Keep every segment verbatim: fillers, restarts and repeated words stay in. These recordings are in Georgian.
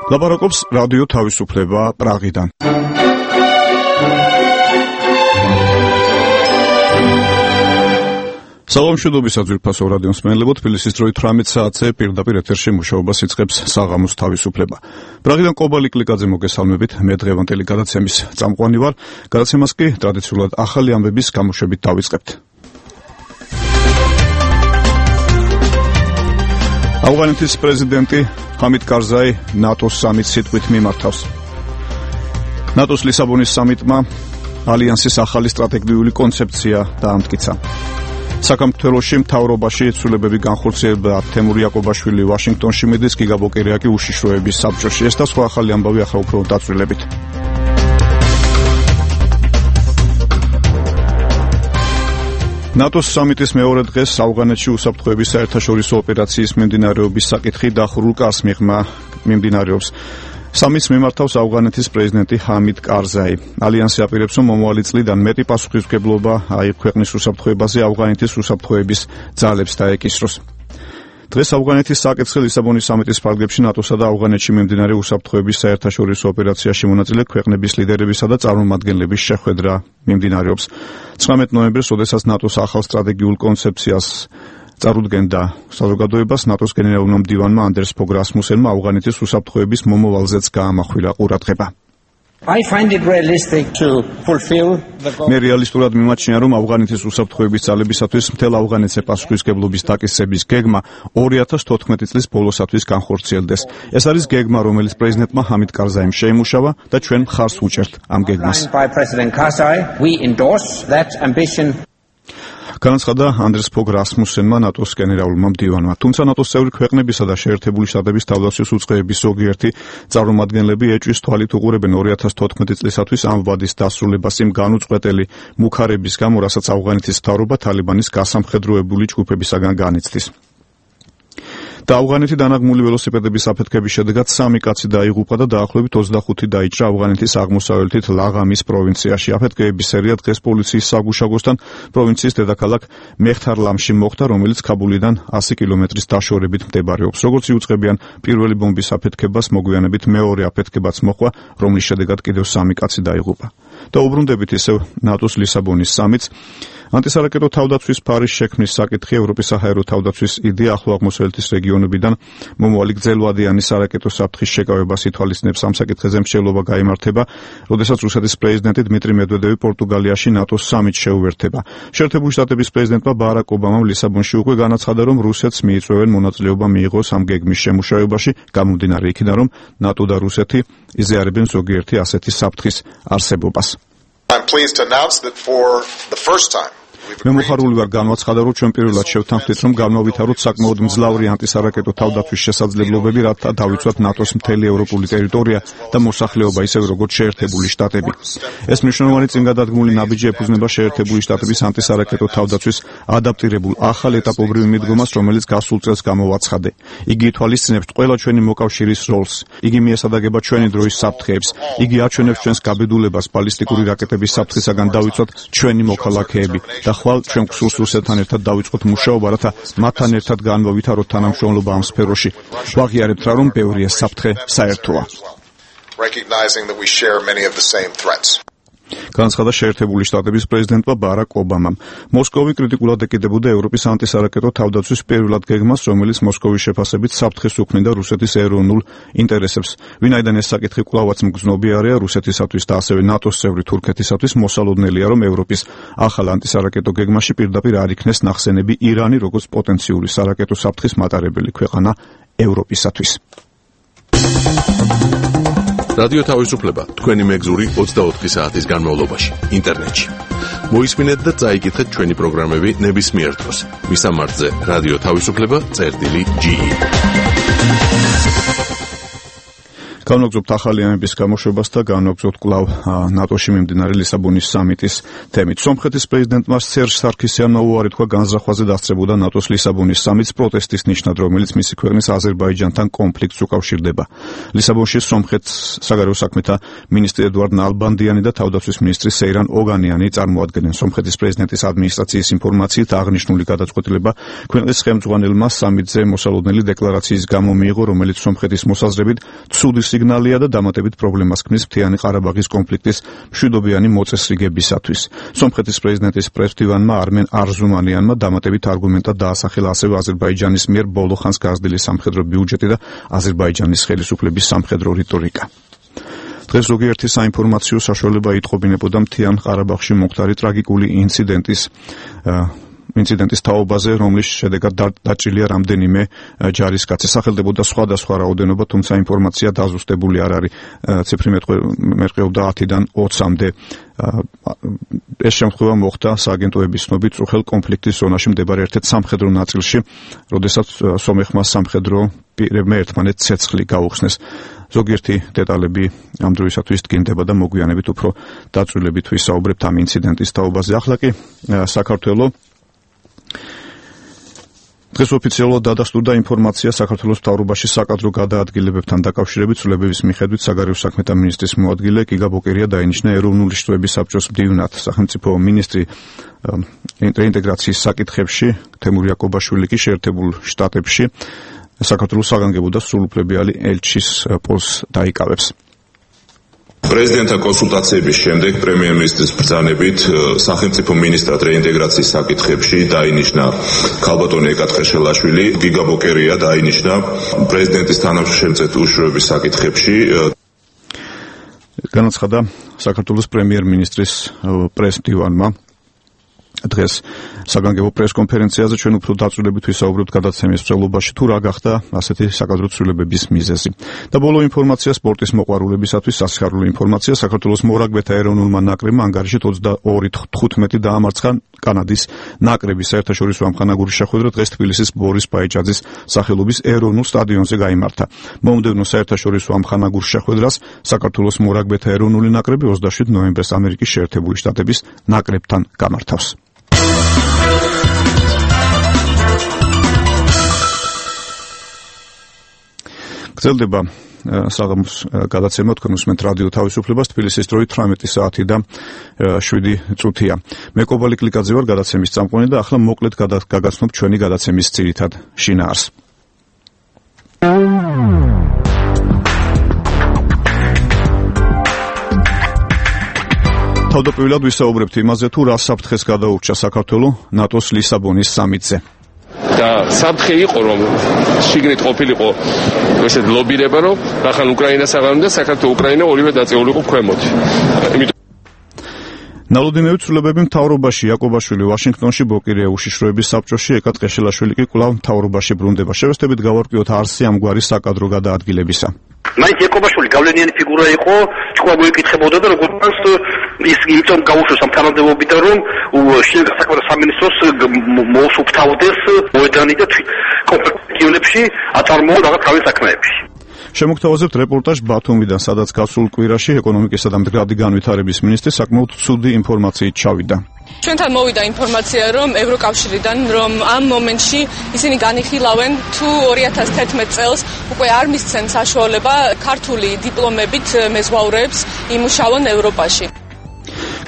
ლაპარაკობს რადიო თავისუფლება პრაღიდან. საღამოშობისა ძვირფასო რადიო მსმენელებო, თბილისის დროით ათმეტ საათზე პირდაპირ ეთერში მუშაობას იწყებს საღამოს თავისუფლება. პრაღიდან კობალი კლიკაძე მოგესალმებით, მე დღევანდელი გადაცემის წამყვანი ვარ. გადაცემას კი ტრადიციულად ახალი ამბების გამოშვებით დავიწყებთ. ავღანეთის პრეზიდენტი ჰამიდ კარზაი ნატოს სამიტს სიტყვით მიმართავს. ნატოს ლისაბონის სამიტმა ალიანსის ახალი სტრატეგიული კონცეფცია დაამტკიცა. საქართველოში მთავრობაში ცვლილებები განხორციელდა. თემურ იაკობაშვილი ვაშინგტონში მიდის, გიგა ბოკერია კი უშიშროების საბჭოში. ეს და სხვა ახალი ამბავი ახლა უფრო დაწვრილებით. ნატოს სამიტის მეორე დღეს ავღანეთში უსაფრთხოების საერთაშორისო ოპერაციის მიმდინარეობის საკითხი დახურულ კარს მიღმა მიმდინარეობს. სამიტს მიმართავს ავღანეთის პრეზიდენტი ჰამიდ კარზაი. ალიანსი აპირებს, რომ მომავალი წლიდან მეტი პასუხისმგებლობა აიღოს უსაფრთხოებაზე ავღანეთის უსაფრთხოების ძალებს დაეკისროს. დღეს ავღანეთის საკითხი ლისაბონის სამიტის ფარგლებში ნატოსა და ავღანეთში მიმდინარე უსაფრთხოების საერთაშორისო ოპერაციაში მონაწილე ქვეყნების ლიდერებისა და წარმომადგენლების შეხვედრა მიმდინარეობს. ცხრამეტ ნოემბერს, როდესაც ნატოს ახალ სტრატეგიულ კონცეფციას წარუდგენდა საზოგადოებას, ნატოს გენერალურმა მდივანმა ანდერს ფოგ რასმუსენმა ავღანეთის უსაფრთხოების მომავალზეც გაამახვილა ყურადღება. I find it realistic to fulfill the goal. მე რეალისტურად მიმაჩნია, რომ ავღანეთის უსაფრთხოების ძალებისათვის მთელ ავღანეთზე პასუხისმგებლობის დაკისრების გეგმა ორი ათას თოთხმეტი წლის ბოლოსათვის განხორციელდეს. ეს არის გეგმა, რომელიც პრეზიდენტმა ჰამიდ კარზაიმ შეიმუშავა და ჩვენ მხარს ვუჭერთ ამ გეგმას. By President Karzai, we endorse that ambition. განაცხადა ანდერს ფოგ რასმუსენმა ნატოს გენერალურმა მდივანმა. თუმცა ნატოს წევრი ქვეყნებისა და შეერთებული შტატების თავდაცვის უწყებების ზოგიერთი წარმომადგენლები ეჭვის თვალით უყურებენ ორი ათას თოთხმეტი წლისათვის ამ ვადის დასრულებას იმ განუწყვეტელი მუქარების გამო, რასაც ავღანეთის მთავრობა თალიბანის გასამხედროებული ჯგუფებისაგან განიცდის. და ავღანეთი დანაღმული ველოსიპედების აფეთქების შედეგად სამი კაცი დაიღუპა და დაახლოებით ოცდახუთი დაიჭრა ავღანეთის აღმოსავლეთით ლაღამის პროვინციაში. აფეთქების სერია დღეს პოლიციის საგუშაგოსთან პროვინციის დედაქალაქ მეხთარლამში მოხდა, რომელიც ქაბულიდან ასი კილომეტრის დაშორებით მდებარეობს. როგორც იუწყებიან, პირველი ბომბის აფეთქებას მოგვიანებით მეორე აფეთქებაც მოხდა, რომლის შედეგად კიდევ სამი კაცი დაიღუპა. და უბრუნდებით ისევ ნატოს ლისაბონის სამიტს. ანტისარაკეტო თავდაცვის ფარის შექმნის საკითხი ევროპის საჰაერო თავდაცვის იდეა ახლო აღმოსავლეთის რეგიონებიდან მომავალი გრძელვადიანი სარაკეტო საფრთხის შეკავებას ითვალისწინებს. ამ საკითხზე მსჯელობა გაიმართება, როდესაც რუსეთის პრეზიდენტი დმიტრი მედვედევი პორტუგალიაში ნატოს სამიტს შეუერთება. შეერთებული შტატების პრეზიდენტმა ბარაკ ობამამ ლისაბონში უკვე განაცხადა, რომ რუსეთს მიიწვევენ მონაწილეობა მიიღოს ამ გეგმის შემუშავებაში, გამომდინარე იქიდან, რომ ნატო და რუსეთი იზიარებენ ზოგიერთი ასეთი საფრთხის არსებობას. I'm pleased to announce that for the first time მე მოხარული ვარ განვაცხადა, რომ ჩვენ პირველად შევთანხმდით, რომ განმავითაროთ საკმაოდ მძლავრი ანტისარაკეტო თავდაცვის შესაძლებლობები, რათა დავიცვათ ნატოს მთელი ევროპული ტერიტორია და მოსახლეობა, ისევე როგორც შეერთებული შტატები. ეს მნიშვნელოვანი წინგადადგმული ნაბიჯი ეფუძნება შეერთებული შტატების ანტისარაკეტო თავდაცვის ადაპტირებულ ახალ ეტაპობრივ მიდგომას, რომელიც გასულ წელს გამოვაცხადე. იგი ითვალისწინებს ყველა ჩვენი მოკავშირის როლს. იგი მიესადაგება ჩვენი დროის საფრთხეებს. იგი აჩვენებს ჩვენს გაბედულებას ბალისტიკური რაკეტების საფრთხისაგან დავიცვათ ჩვენი მოქალაქეები. და ხვალ ჩვენ გსურს რუსეთთან ერთად დავიწყოთ მუშაობა, რათა მათთან ერთად განვავითაროთ თანამშრომლობა ამ სფეროში. ვაღიარებთ რა, რომ ბევრი ეს საფრთხე საერთოა. recognizing that we share many of the same threats. განაცხადა შეერთებული შტატების პრეზიდენტმა ბარაკ ობამამ. მოსკოვი კრიტიკულად ეკიდებოდა ევროპის ანტისარაკეტო თავდაცვის პირველად გეგმას, რომელიც მოსკოვის შეფასებით საფრთხეს უქმნიდა რუსეთის ეროვნულ ინტერესებს. ვინაიდან ეს საკითხი კვლავაც მგრძნობიარეა რუსეთისათვის და ასევე ნატოს წევრი თურქეთისათვის, მოსალოდნელია, რომ ევროპის ახალ ანტისარაკეტო გეგმაში პირდაპირ არ იქნეს ნახსენები ირანი, როგორც პოტენციური სარაკეტო საფრთხის მატარებელი ქვეყანა ევროპისათვის. რადიო თავისუფლება თქვენი მეგზური ოცდაოთხი საათის განმავლობაში ინტერნეტში. მოისმინეთ და წაიკითხეთ ჩვენი პროგრამები ნებისმიერ დროს. მისამართზე რადიო თავისუფლება წერტილი ჯი ი. განვაგრძობთ ახალი ამების გამოშვებას და განვაგრძობთ კვლავ ნატოში მიმდინარე ლისაბონის სამიტის თემით. სომხეთის პრეზიდენტმა სერჟ სარქისიანმა უარი თქვა განზრახვაზე დასწრებოდა ნატოს ლისაბონის სამიტს პროტესტის ნიშნად, რომელიც მისი ქვეყნის აზერბაიჯანთან კონფლიქტს უკავშირდება. ლისაბონში სომხეთის საგარეო საქმეთა მინისტრი ედუარდ ნალბანდიანი და თავდაცვის მინისტრი სეირან ოგანიანი წარმოადგენენ. სომხეთის პრეზიდენტის ადმინისტრაციის ინფორმაციით აღნიშნული გადაწყვეტილება ქვეყნის ხელმძღვანელმა სამიტზე მოსალოდნელი დეკლარაციის გამო მიიღო, რომელიც სომხეთის მოსაზრებით ცუდი სიგნალია და დამატებით პრობლემას ქმნის მთიანი ყარაბაღის კონფლიქტის მშვიდობიანი მოწესრიგებისათვის. სომხეთის პრეზიდენტის პრესმდივანმა არმენ არზუმანიანმა დამატებით არგუმენტად დაასახელა ასევე აზერბაიჯანის მიერ ბოლო ხანს გაზრდილი სამხედრო ბიუჯეტი და აზერბაიჯანის ხელისუფლების სამხედრო რიტორიკა. დღეს ზოგიერთი საინფორმაციო საშუალება იტყობინებოდა მთიან ყარაბაღში მომხდარი ტრაგიკული ინციდენტის ინციდენტის თაობაზე, რომლის შედეგად დაჭრილია რამდენიმე ჯარისკაცი. სახელდებოდა სხვადასხვა რაოდენობა, თუმცა ინფორმაცია დაზუსტებული არ არის. ციფრი მერყეობდა ათიდან ოცამდე. ეს შემთხვევა მოხდა სააგენტოების ცნობით წუხელ კონფლიქტის ზონაში მდებარე ერთ-ერთ სამხედრო ნაწილში, როდესაც სომეხმა სამხედრო პირებმა ერთმანეთს ცეცხლი გაუხსნეს. ზოგიერთი დეტალები ამ დროისათვის დგინდება და მოგვიანებით უფრო დაწვრილებით ვისაუბრებთ ამ ინციდენტის თაობაზე. ახლა კი საქართველოს დღეს ოფიციალურად დადასტურდა ინფორმაცია საქართველოს მთავრობაში საკადრო გადაადგილებებთან დაკავშირებით. ცვლილებების მიხედვით საგარეო საქმეთა მინისტრის მოადგილე გიგა ბოკერია დაინიშნა ეროვნული შტოების საბჭოს მდივნად. სახელმწიფო მინისტრი რეინტეგრაციის საკითხებში თემურ იაკობაშვილი კი შეერთებულ შტატებში საქართველოს საგანგებო და სრულუფლებიანი ელჩის პოსტს დაიკავებს. პრეზიდენტთან კონსულტაციების შემდეგ პრემიერ-მინისტრის ბრძანებით სახელმწიფო მინისტრად რეინტეგრაციის საკითხებში დაინიშნა ქალბატონი ეკა ტყეშელაშვილი, გიგა ბოკერია დაინიშნა პრეზიდენტის თანამშრომლობით უშუალობის საკითხებში. განაცხადა საქართველოს პრემიერ-მინისტრის პრესმდივანმა დღეს საგანგებო პრესკონფერენციაზე. ჩვენ უფრო დაწვრილებით ვისაუბრებთ გადაცემის მსვლელობაში თუ რა გახდა ასეთი საკადრო ცვლილებების მიზეზი. და ბოლო ინფორმაცია სპორტის მოყვარულებისათვის სასიხარულო ინფორმაცია. საქართველოს მორაგბეთა ეროვნულმა ნაკრებმა ანგარიშით ოცდაორი თხუთმეტი დაამარცხა კანადის ნაკრები. საერთაშორისო ამხანაგური შეხვედრა დღეს თბილისის ბორის პაიჭაძის სახელობის ეროვნულ სტადიონზე გაიმართა. მომდევნო საერთაშორისო ამხანაგურ შეხვედრას საქართველოს მორაგბეთა ეროვნული ნაკრები ოცდაშვიდ ნოემბერს ამერიკის შეერთებული შტატების ნაკრებთან გამართავს. გრძელდება საღამოს გადაცემა, თქვენ უსმენთ რადიო თავისუფლებას, თბილისის დროით თვრამეტი საათი და შვიდი წუთია. მე კობალი კლიკაძე ვარ, გადაცემის წამყვანი და ახლა მოკლედ გაგაცნობ ჩვენი გადაცემის ძირითად შინაარს. თავდაპირველად ვისაუბრებთ იმაზე, თუ რა საფრთხეს გადაურჩა საქართველო ნატოს ლისაბონის სამიტზე. და საფრთხე იყო, რომ შიგნით ყოფილიყო ესეთ ლობირება, რომ ახლა უკრაინას აღარ უნდა საქართველოს უკრაინა ორივე დაწეულიყო ქვემოთ. იმიტომ ნალოდინევის ცვლილებები მთავრობაში იაკობაშვილი ვაშინგტონში, ბოკერია უშიშროების საბჭოში, ეკა ტყეშელაშვილი კი კვლავ მთავრობაში ბრუნდება. შევესწრებით გავარკვიოთ არსი ამგვარი საკადრო გადაადგილებისა. მაინც იაკობაშვილი გავლენიანი ფიგურა იყო, თქვა მოიკითხებოდა და როგორც ის იმიტომ გაუშვეს ამ თანამდებობიდან, რომ შინაგან საქმეთა სამინისტროს მოუსუფთავდეს მოედანი და კონფლიქტებში აწარმოო რაღაც თავის საქმეებში. შემოგთავაზებთ რეპორტაჟ ბათუმიდან, სადაც გასულ კვირაში ეკონომიკისა და მდგრადი განვითარების მინისტრი საკმაოდ ცუდი ინფორმაციით ჩავიდა. ჩვენთან მოვიდა ინფორმაცია, რომ ევროკავშირიდან, რომ ამ მომენტში ისინი განიხილავენ, თუ ორი ათას თერთმეტ წელს უკვე არ მისცენ საშუალება ქართული დიპლომებით მეზღვაურებს იმუშაონ ევროპაში.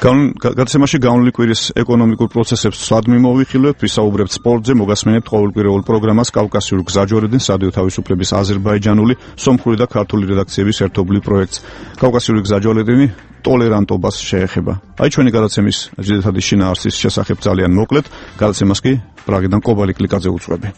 გადაცემაში განვლილი კვირის ეკონომიკურ პროცესებს სად მიმოვიხილავთ, ვისაუბრებთ სპორტზე, მოგასმენებთ ყოველკვირეულ პროგრამას კავკასიური გზაჯვარედინის რადიო თავისუფლების აზერბაიჯანული, სომხური და ქართული რედაქციების ერთობლივ პროექტს. კავკასიური გზაჯვარედინი ტოლერანტობას შეეხება. აი ჩვენი გადაცემის ძირითადი შინაარსის შესახებ ძალიან მოკლედ, გადაცემას კი პრაღიდან კობალი კლიკაძე უძღვები.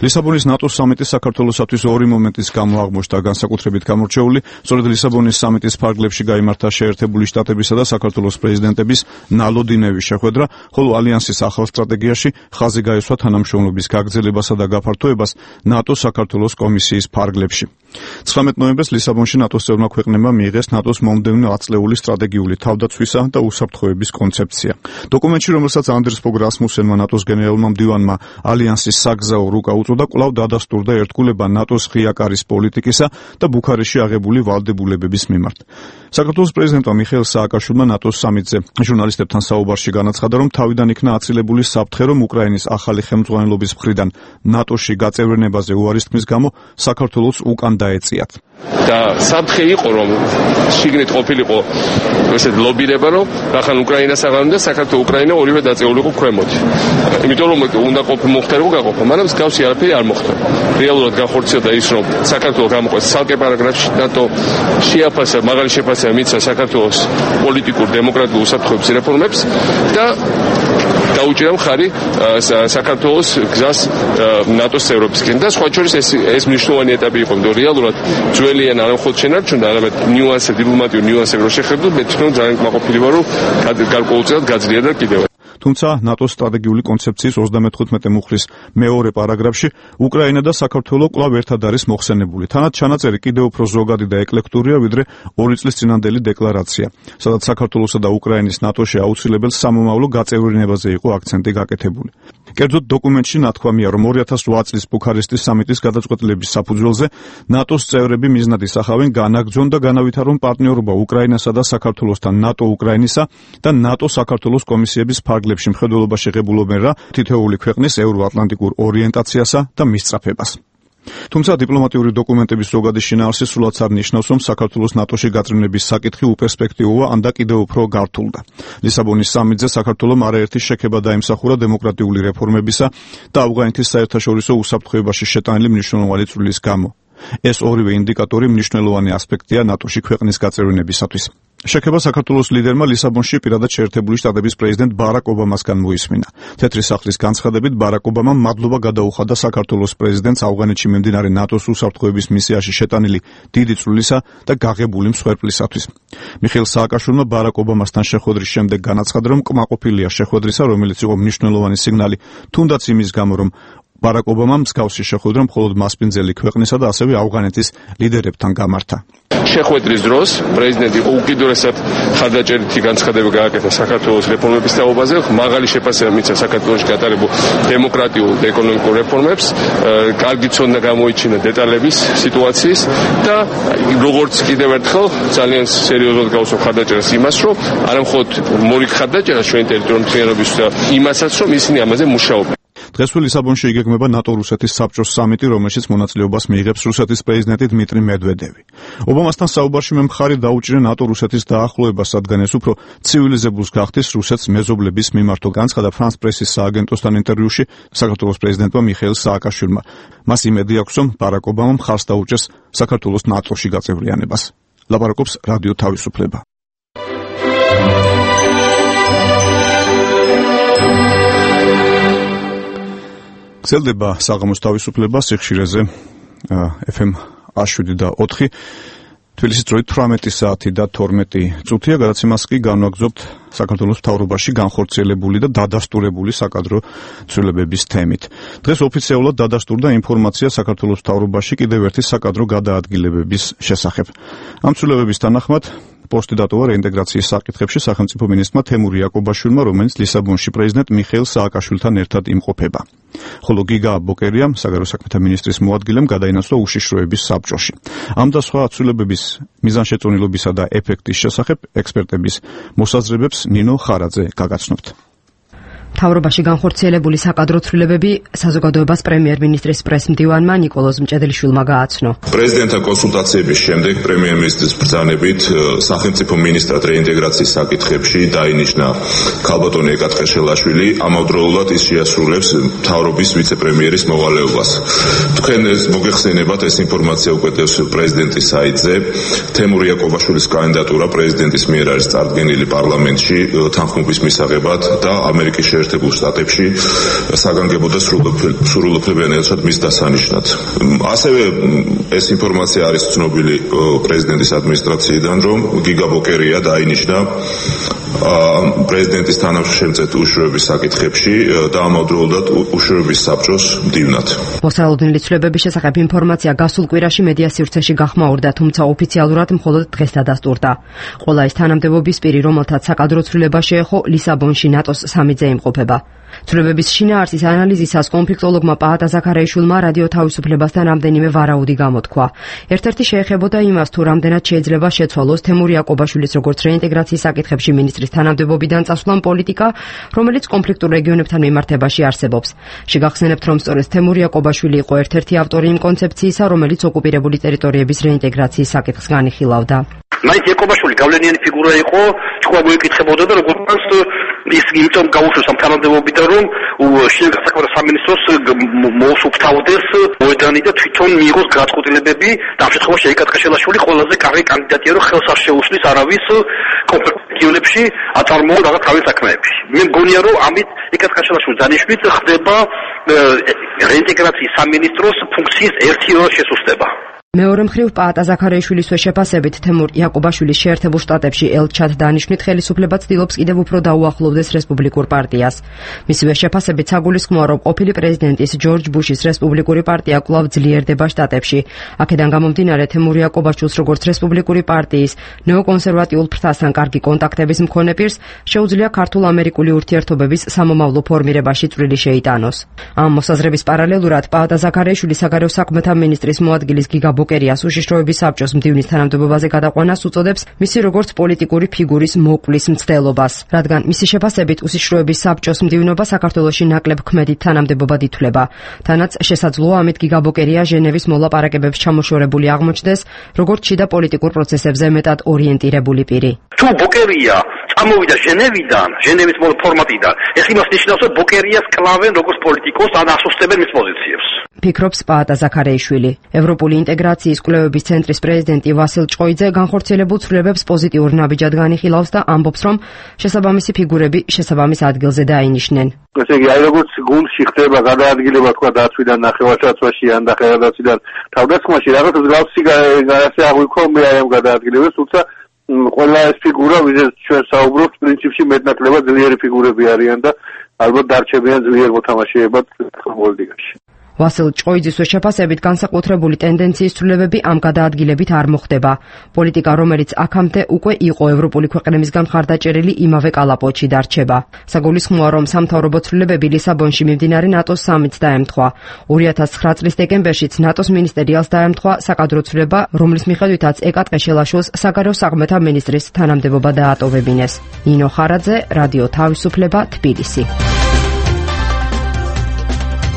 ლისაბონის ნატოს სამიტის საქართველოსათვის ორი მომენტის გამო აღმოჩნდა განსაკუთრებით გამორჩეული. სწორედ ლისაბონის სამიტის ფარგლებში გაიმართა შეერთებული შტატებისა და საქართველოს პრეზიდენტების ნალოდინევის შეხვედრა, ხოლო ალიანსის ახალ სტრატეგიაში ხაზი გაესვა თანამშრომლობის გაგრძელებასა და გაფართოებას ნატოს საქართველოს კომისიის ფარგლებში. ცხრამეტ ნოემბერს ლისაბონში ნატოს წევრმა ქვეყნებმა მიიღეს ნატოს მომდევნო ათწლეული სტრატეგიული თავდაცვისა და უსაფრთხოების კონცეფცია. დოკუმენტში, რომელსაც ანდერს ფოგ რასმუსენმა ნატოს გენერალურმა მდივანმა ალიანსის საგზაო რუკა და კვლავ დადასტურდა ერთგულება ნატოს ღია კარის პოლიტიკისა და ბუქარესტში აღებული ვალდებულებების მიმართ. საქართველოს პრეზიდენტმა მიხეილ სააკაშვილმა ნატოს სამიტზე ჟურნალისტებთან საუბარში განაცხადა, რომ თავიდან იქნა აცილებული საფრთხე, რომ უკრაინის ახალი ხელმძღვანელობის მხრიდან ნატოში გაწევრიანებაზე უარის თქმის გამო საქართველოს უკან დაეწიათ. და საფრთხე იყო რომ შიგნით ყოფილიყო ესეთ ლობირება რომ ახლა უკრაინას აღარ უნდა საქართველოს უკრაინა ორივე დაწეულიყო ქვემოთ. იმიტომ რომ უნდა ყოფილიყო მოხდარიყო გაყოფა, მაგრამ მსგავსი არაფერი არ მოხდა. რეალურად განხორციელდა ის რომ საქართველოს გამოყვეს ცალკე პარაგრაფში ნატო შეაფასა მაღალი შეფასება მისცა საქართველოს პოლიტიკურ დემოკრატიულ უსაფრთხოების რეფორმებს და დაუჭირა მხარი საქართველოს გზას ნატოს წევრობისკენ და სხვა შორის ეს ეს მნიშვნელოვანი ეტაპი იყო, იმიტომ რეალურად ძველიან არ მხოლოდ შენარჩუნდა, არამედ ნიუანსები, დიპლომატიური ნიუანსები რო შეხედო, მე თვითონ ძალიან კმაყოფილი ვარ, რომ გარკვეულწილად გაძლიერდა კიდევ. თუმცა ნატოს სტრატეგიული კონცეფციის ოცდამეთოთხმეტე მუხლის მეორე პარაგრაფში უკრაინა და საქართველო კვლავ ერთად არის მოხსენებული. თანაც ჩანაწერი კიდევ უფრო ზოგადი და ეკლექტურია, ვიდრე ორი წლის წინანდელი დეკლარაცია, სადაც საქართველოსა და უკრაინის ნატოში აუცილებელ სამომავლო გაწევრიანებაზე იყო აქცენტი გაკეთებული. კერძოდ დოკუმენტში ნათქვამია, რომ ორი ათას ოთხ წლის ბუქარესტის სამიტის გადაწყვეტილების საფუძველზე ნატოს წევრები მიზნად ისახავენ განაგრძონ და განავითარონ პარტნიორობა უკრაინასა და საქართველოსთან ნატო უკრაინისა და ნატო საქართველოს კომისიების ფარგლებში მხედველობა შეღებულობენ რა თითოეული ქვეყნის ევროატლანტიკურ ორიენტაციასა და მისწრაფებას. თუმცა დიპლომატიური დოკუმენტების ზოგადი შინაარსი სულაც არ ნიშნავს, რომ საქართველოს ნატოში გაწევრების საკითხი უპერსპექტივოა ან და კიდევ უფრო გართულდა. ლისაბონის სამიტზე საქართველომ არაერთი შექება დაიმსახურა დემოკრატიული რეფორმებისა და ავღანეთის საერთაშორისო უსაფრთხოებაში შეტანილი მნიშვნელოვანი წვლილის გამო. ეს ორივე ინდიკატორი მნიშვნელოვანი ასპექტია ნატოში ქვეყნის გაწევრებისათვის. შექება საქართველოს ლიდერმა ლისაბონში პირადად შეერთებული შტატების პრეზიდენტ ბარაკ ობამასგან მოისმინა. თეთრი სახლის განცხადებით ბარაკ ობამამ მადლობა გადაუხადა საქართველოს პრეზიდენტს ავღანეთში მიმდინარე ნატოს უსაფრთხოების მისიაში შეტანილი დიდი წვლილისა და გაღებული მსხვერპლისათვის. მიხეილ სააკაშვილმა ბარაკ ობამასთან შეხვედრის შემდეგ განაცხადა, რომ კმაყოფილია შეხვედრისა, რომელიც იყო მნიშვნელოვანი სიგნალი, თუნდაც იმის გამო, რომ ბარაკ ობამამ მსგავსი შეხვედრა მხოლოდ მასპინძელი ქვეყნისა და ასევე ავღანეთის ლიდერებთან გამართა. შეხვედრის დროს პრეზიდენტი უკიდურესად ხარდაჭერითი განცხადება გააკეთა საქართველოს რეფორმების თაობაზე, მაღალი შეფასება მისცა საქართველოში გატარებულ დემოკრატიულ და ეკონომიკურ რეფორმებს, კარგი ცოდნა გამოიჩინა დეტალების სიტუაციის და როგორც კიდევ ერთხელ ძალიან სერიოზულად გავუსვა ხარდაჭერას იმას, რომ არა მხოლოდ მორიგ ხარდაჭერას ჩვენი ტერიტორიული მთლიანობის და იმასაც, რომ ისინი ამაზე მუშაობენ. დღესვე ლისაბონში იგეგმება ნატო-რუსეთის საბჭოს სამიტი, რომელშიც მონაწილეობას მიიღებს რუსეთის პრეზიდენტი დმიტრი მედვედევი. ობამასთან საუბარში მე მხარი დაუჭირა ნატო-რუსეთის დაახლოებას, რადგან ეს უფრო ცივილიზებულს გახდის რუსეთს მეზობლების მიმართო, განცხადა ფრანს პრესის სააგენტოსთან ინტერვიუში საქართველოს პრეზიდენტმა მიხეილ სააკაშვილმა. მას იმედი აქვს, რომ ბარაკ ობამამ ხარს დაუჭერს საქართველოს ნატოში გაწევრიანებას. ლაპარაკობს რადიო თავისუფლება. გრძელდება საღამოს თავისუფლება სიხშირეზე ეფ ემ შვიდ და ოთხი თბილისის დროით თვრამეტი საათი და თორმეტი წუთია. გადაცემას კი განვაგრძობთ საქართველოს მთავრობაში განხორციელებული და დადასტურებული საკადრო ცვლილებების თემით. დღეს ოფიციალურად დადასტურდა ინფორმაცია საქართველოს მთავრობაში კიდევ ერთი საკადრო გადაადგილებების შესახებ. ამ ცვლილებების თანახმად პოსტი დატოვა რეინტეგრაციის საკითხებში სახელმწიფო მინისტრმა თემურ იაკობაშვილმა, რომელიც ლისაბონში პრეზიდენტ მიხეილ სააკაშვილთან ერთად იმყოფება. ხოლო გიგა ბოკერიამ, საგარეო საქმეთა მინისტრის მოადგილემ, გადაინაცვლა უშიშროების საბჭოში. ამ და სხვა ცვლილებების მიზანშეწონილობისა და ეფექტის შესახებ ექსპერტების მოსაზრებებს ნინო ხარაძე გაგაცნობთ. მთავრობაში განხორციელებული საკადრო ცვლილებები საზოგადოებას პრემიერ-მინისტრის პრესმდივანმა ნიკოლოზ მჭედლიშვილმა გააცნო. პრეზიდენტთან კონსულტაციების შემდეგ პრემიერ-მინისტრის ბრძანებით სახელმწიფო მინისტრად რეინტეგრაციის საკითხებში დაინიშნა ქალბატონი ეკათ ხეშელაშვილი, ამავდროულად ის შეასრულებს მთავრობის ვიცე-პრემიერის მოვალეობას. თქვენ მოგეხსენებათ, ეს ინფორმაცია უკეთებს პრეზიდენტის საიტზე. თემურ იაკობაშვილის კანდიდატურა პრეზიდენტის მიერ არის წარდგენილი პარლამენტში თანხმობის მისაღებად და ამერიკის შეერთებულ შტატებში საგანგებო და სრულუფლებიანად მის დასანიშნად. ასევე ეს ინფორმაცია არის ცნობილი პრეზიდენტის ადმინისტრაციიდან, რომ გიგა ბოკერია დაინიშნა პრეზიდენტის თანამშრომლად უშუალობის საკითხებში და ამავდროულად უშუალობის საბჭოს მდივნად. მოსალოდნელი ცვლილებების შესახებ ინფორმაცია გასულ კვირაში მედია სივრცეში გახმაურდა, თუმცა ოფიციალურად მხოლოდ დღეს დადასტურდა. ყველა ის თანამდებობის პირი, რომელთაც საკადრო ცვლილება შეეხო, ლისაბონში ნატოს სამიტზე იმყოფება. ცვლილებების შინაარსის ანალიზისას კონფლიქტოლოგმა პაატა ზაქარაიშვილმა რადიო თავისუფლებასთან რამდენიმე ვარაუდი გამოთქვა. ერთ-ერთი შეეხებოდა იმას, თუ რამდენად შეიძლება შეცვალოს თემურ იაკობაშვილის როგორც რეინტეგრაციის საკითხებში მინისტრის ministris თანამდებობიდან წასვლამ პოლიტიკა, რომელიც კონფლიქტურ რეგიონებთან მიმართებაში არსებობს. შეგახსენებთ, რომ სწორედ თემურ იაკობაშვილი იყო ერთ-ერთი ავტორი იმ კონცეფციისა, რომელიც ოკუპირებული ტერიტორიების რეინტეგრაციის საკითხს განიხილავდა. მაინც იაკობაშვილი გავლენიანი ფიგურა იყო, თქვა მოიკითხებოდა და როგორც ის იმიტომ გაუშვეს ამ თანამდებობიდან, რომ შინაგან საქმეთა სამინისტროს მოუსუფთავდეს მოედანი და თვითონ მიიღოს გადაწყვეტილებები და ამ შემთხვევაში ეკატყაშელაშვილი ყველაზე კარგი კანდიდატია, რომ ხელს არ შეუშლის არავის კონფლიქტებში აწარმოოს რაღაც თავის საქმეებში. მე მგონია, რომ ამით ეკატყაშელაშვილი დანიშნით ხდება რეინტეგრაციის სამინისტროს ფუნქციის ერთი შესუსტება. მეორე მხრივ პაატა ზაქარიაშვილისვე შეფასებით თემურ იაკობაშვილის შეერთებულ შტატებში ელჩად დანიშვნით ხელისუფლება ცდილობს კიდევ უფრო დაუახლოვდეს რესპუბლიკურ პარტიას. მისივე შეფასებით საგულისხმოა, რომ ყოფილი პრეზიდენტის ჯორჯ ბუშის რესპუბლიკური პარტია კვლავ ძლიერდება შტატებში. აქედან გამომდინარე თემურ იაკობაშვილს როგორც რესპუბლიკური პარტიის ნეოკონსერვატიულ ფრთასთან კარგი კონტაქტების მქონე პირს შეუძლია ქართულ-ამერიკული ურთიერთობების სამომავლო ფორმირებაში წვლილი შეიტანოს. ამ მოსაზრების პარალელურად პაატა ზაქარიაშვილი საგარეო საქმეთა მინისტრის მოადგილის გიგა ბოკერიას უშიშროების საბჭოს მდივნის თანამდებობაზე გადაყვანას უწოდებს მისი როგორც პოლიტიკური ფიგურის მოკვლის მცდელობას, რადგან მისი შეფასებით უშიშროების საბჭოს მდივნობა საქართველოში ნაკლებ ქმედით თანამდებობად ითვლება. თანაც შესაძლოა ამით გიგა ბოკერია ჟენევის მოლაპარაკებებს ჩამოშორებული აღმოჩნდეს, როგორც შიდა პოლიტიკურ პროცესებზე მეტად ორიენტირებული პირი. თუ ბოკერია წამოვიდა ჟენევიდან, ჟენევის ფორმატიდან, ეს იმას ნიშნავს, რომ ბოკერიას კლავენ როგორც პოლიტიკოს, ან ასუსტებენ მის პოზიციებს. ფიქრობს პაატა ზაქარიაშვილი. ევროპული ინტეგრაციის კვლევების ცენტრის პრეზიდენტი ვასილ ჭოიძე განხორციელებულ ცვლილებებს პოზიტიურ ნაბიჯად განიხილავს და ამბობს, რომ შესაბამისი ფიგურები შესაბამის ადგილზე დაინიშნენ. ესე იგი, აი როგორც გუნდში ხდება გადაადგილება თქვა დაცვიდან ნახევარსაცვაში ან და ხელადაცვიდან თავდასხმაში, რაღაც მსგავსი ასე აღვიქვა მე აი ამ გადაადგილებას, თუმცა ყველა ეს ფიგურა, ვიზეთ ჩვენ საუბრობთ, პრინციპში მეტნაკლებად ძლიერი ფიგურები არიან და ალბათ დარჩებიან ძლიერ მოთამაშეებად პოლიტიკაში. ვასილ ჭოიძისვე შეფასებით განსაკუთრებული ტენდენციის ცვლილებები ამ გადაადგილებით არ მოხდება. პოლიტიკა, რომელიც აქამდე უკვე იყო ევროპული ქვეყნებისგან მხარდაჭერილი, იმავე კალაპოტში დარჩება. საგულისხმოა, რომ სამთავრობო ცვლილებები ლისაბონში მიმდინარე ნატოს სამიტს დაემთხვა. ორი ათას ცხრა წლის დეკემბერშიც ნატოს მინისტერიალს დაემთხვა საკადრო ცვლილება, რომლის მიხედვითაც ეკატყეშელაშვილს საგარეო საქმეთა მინისტრის თანამდებობა დაატოვებინეს. ნინო ხარაძე, რადიო თავისუფლება, თბილისი.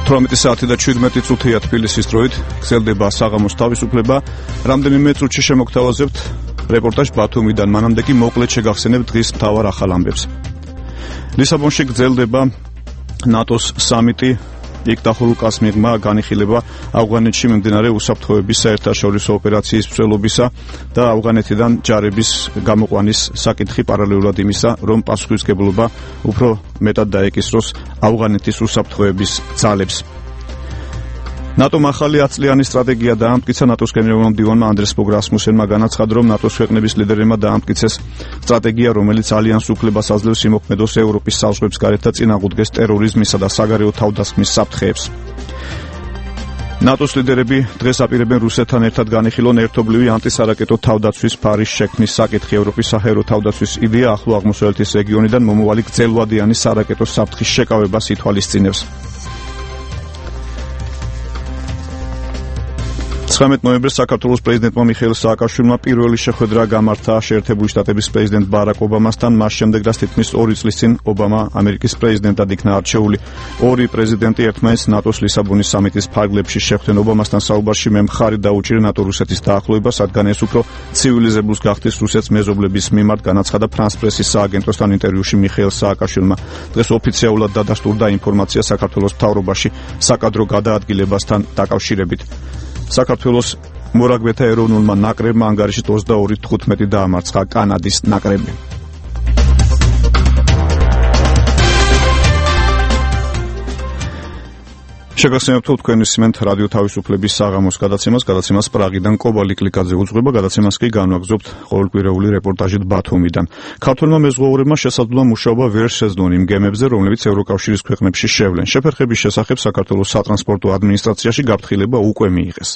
თვრამეტი საათი და შვიდმეტი წუთია თბილისის დროით, გრძელდება საღამოს თავისუფლება. რამდენიმე წუთში შემოგთავაზებთ რეპორტაჟ ბათუმიდან, მანამდე კი მოკლედ შეგახსენებთ დღის მთავარ ახალ ამბებს. ლისაბონში გრძელდება ნატოს სამიტი. იქ დახურუკას მიღმა განიხილება ავღანეთში მიმდინარე უსაფრთხოების საერთაშორისო ოპერაციის მსვლელობისა და ავღანეთიდან ჯარების გამოყვანის საკითხი პარალელურად იმისა, რომ პასუხისმგებლობა უფრო მეტად დაეკისროს ავღანეთის უსაფრთხოების ძალებს. ნატომ ახალი ათწლიანი სტრატეგია დაამტკიცა. ნატოს გენერალურმა მდივანმა ანდრეს ბოგ რასმუსენმა განაცხადა, რომ ნატოს ქვეყნების ლიდერებმა დაამტკიცეს სტრატეგია, რომელიც ალიანს უფლებას აძლევს იმოქმედოს ევროპის საზღვრებს გარეთ და წინააღმდეგეს ტერორიზმისა და საგარეო თავდასხმის საფრთხეებს. ნატოს ლიდერები დღეს აპირებენ რუსეთთან ერთად განიხილონ ერთობლივი ანტისარაკეტო თავდაცვის ფარის შექმნის საკითხი. ევროპის საჰაერო თავდაცვის იდეა ახლო აღმოსავლეთის რეგიონიდან მომავალი გრძელვადიანი სარაკეტო საფრთხის შეკავებას ითვალისწინებს. ცხრამეტ ნოემბერს საქართველოს პრეზიდენტმა მიხეილ სააკაშვილმა პირველი შეხვედრა გამართა შეერთებული შტატების პრეზიდენტ ბარაკ ობამასთან. მას შემდეგ, რაც თითქმის ორი წლის წინ ობამა ამერიკის პრეზიდენტად იქნა არჩეული. ორი პრეზიდენტი ერთმანეთს ნატოს ლისაბონის სამიტის ფარგლებში შეხვდნენ. ობამასთან საუბარში მე მხარი დაუჭირე ნატო-რუსეთის დაახლოებას, რადგან ეს უფრო ცივილიზებულს გახდის რუსეთს მეზობლების მიმართ, განაცხადა ფრანს პრესის სააგენტოსთან ინტერვიუში მიხეილ სააკაშვილმა. დღეს ოფიციალურად დადასტურდა ინფორმაცია საქართველოს მთავრობაში საკადრო გადაადგილებასთან დაკავშირებით. საქართველოს მორაგბეთა ეროვნულმა ნაკრებმა ანგარიშით ოცდაორი თხუთმეტი დაამარცხა კანადის ნაკრები. შეგახსენებთ, თქვენ ისმენთ რადიო თავისუფლების საღამოს გადაცემას, გადაცემას პრაღიდან კობალი კლიკაძე უძღვება, გადაცემას კი განვაგრძობთ ყოველკვირეული რეპორტაჟით ბათუმიდან. ქართველმა მეზღვაურებმა შესაძლოა მუშაობა ვერ შეძლონ იმ გემებზე, რომლებიც ევროკავშირის ქვეყნებში შევლენ. შეფერხების შესახებ საქართველოს სატრანსპორტო ადმინისტრაციაში გაფრთხილება უკვე მიიღეს.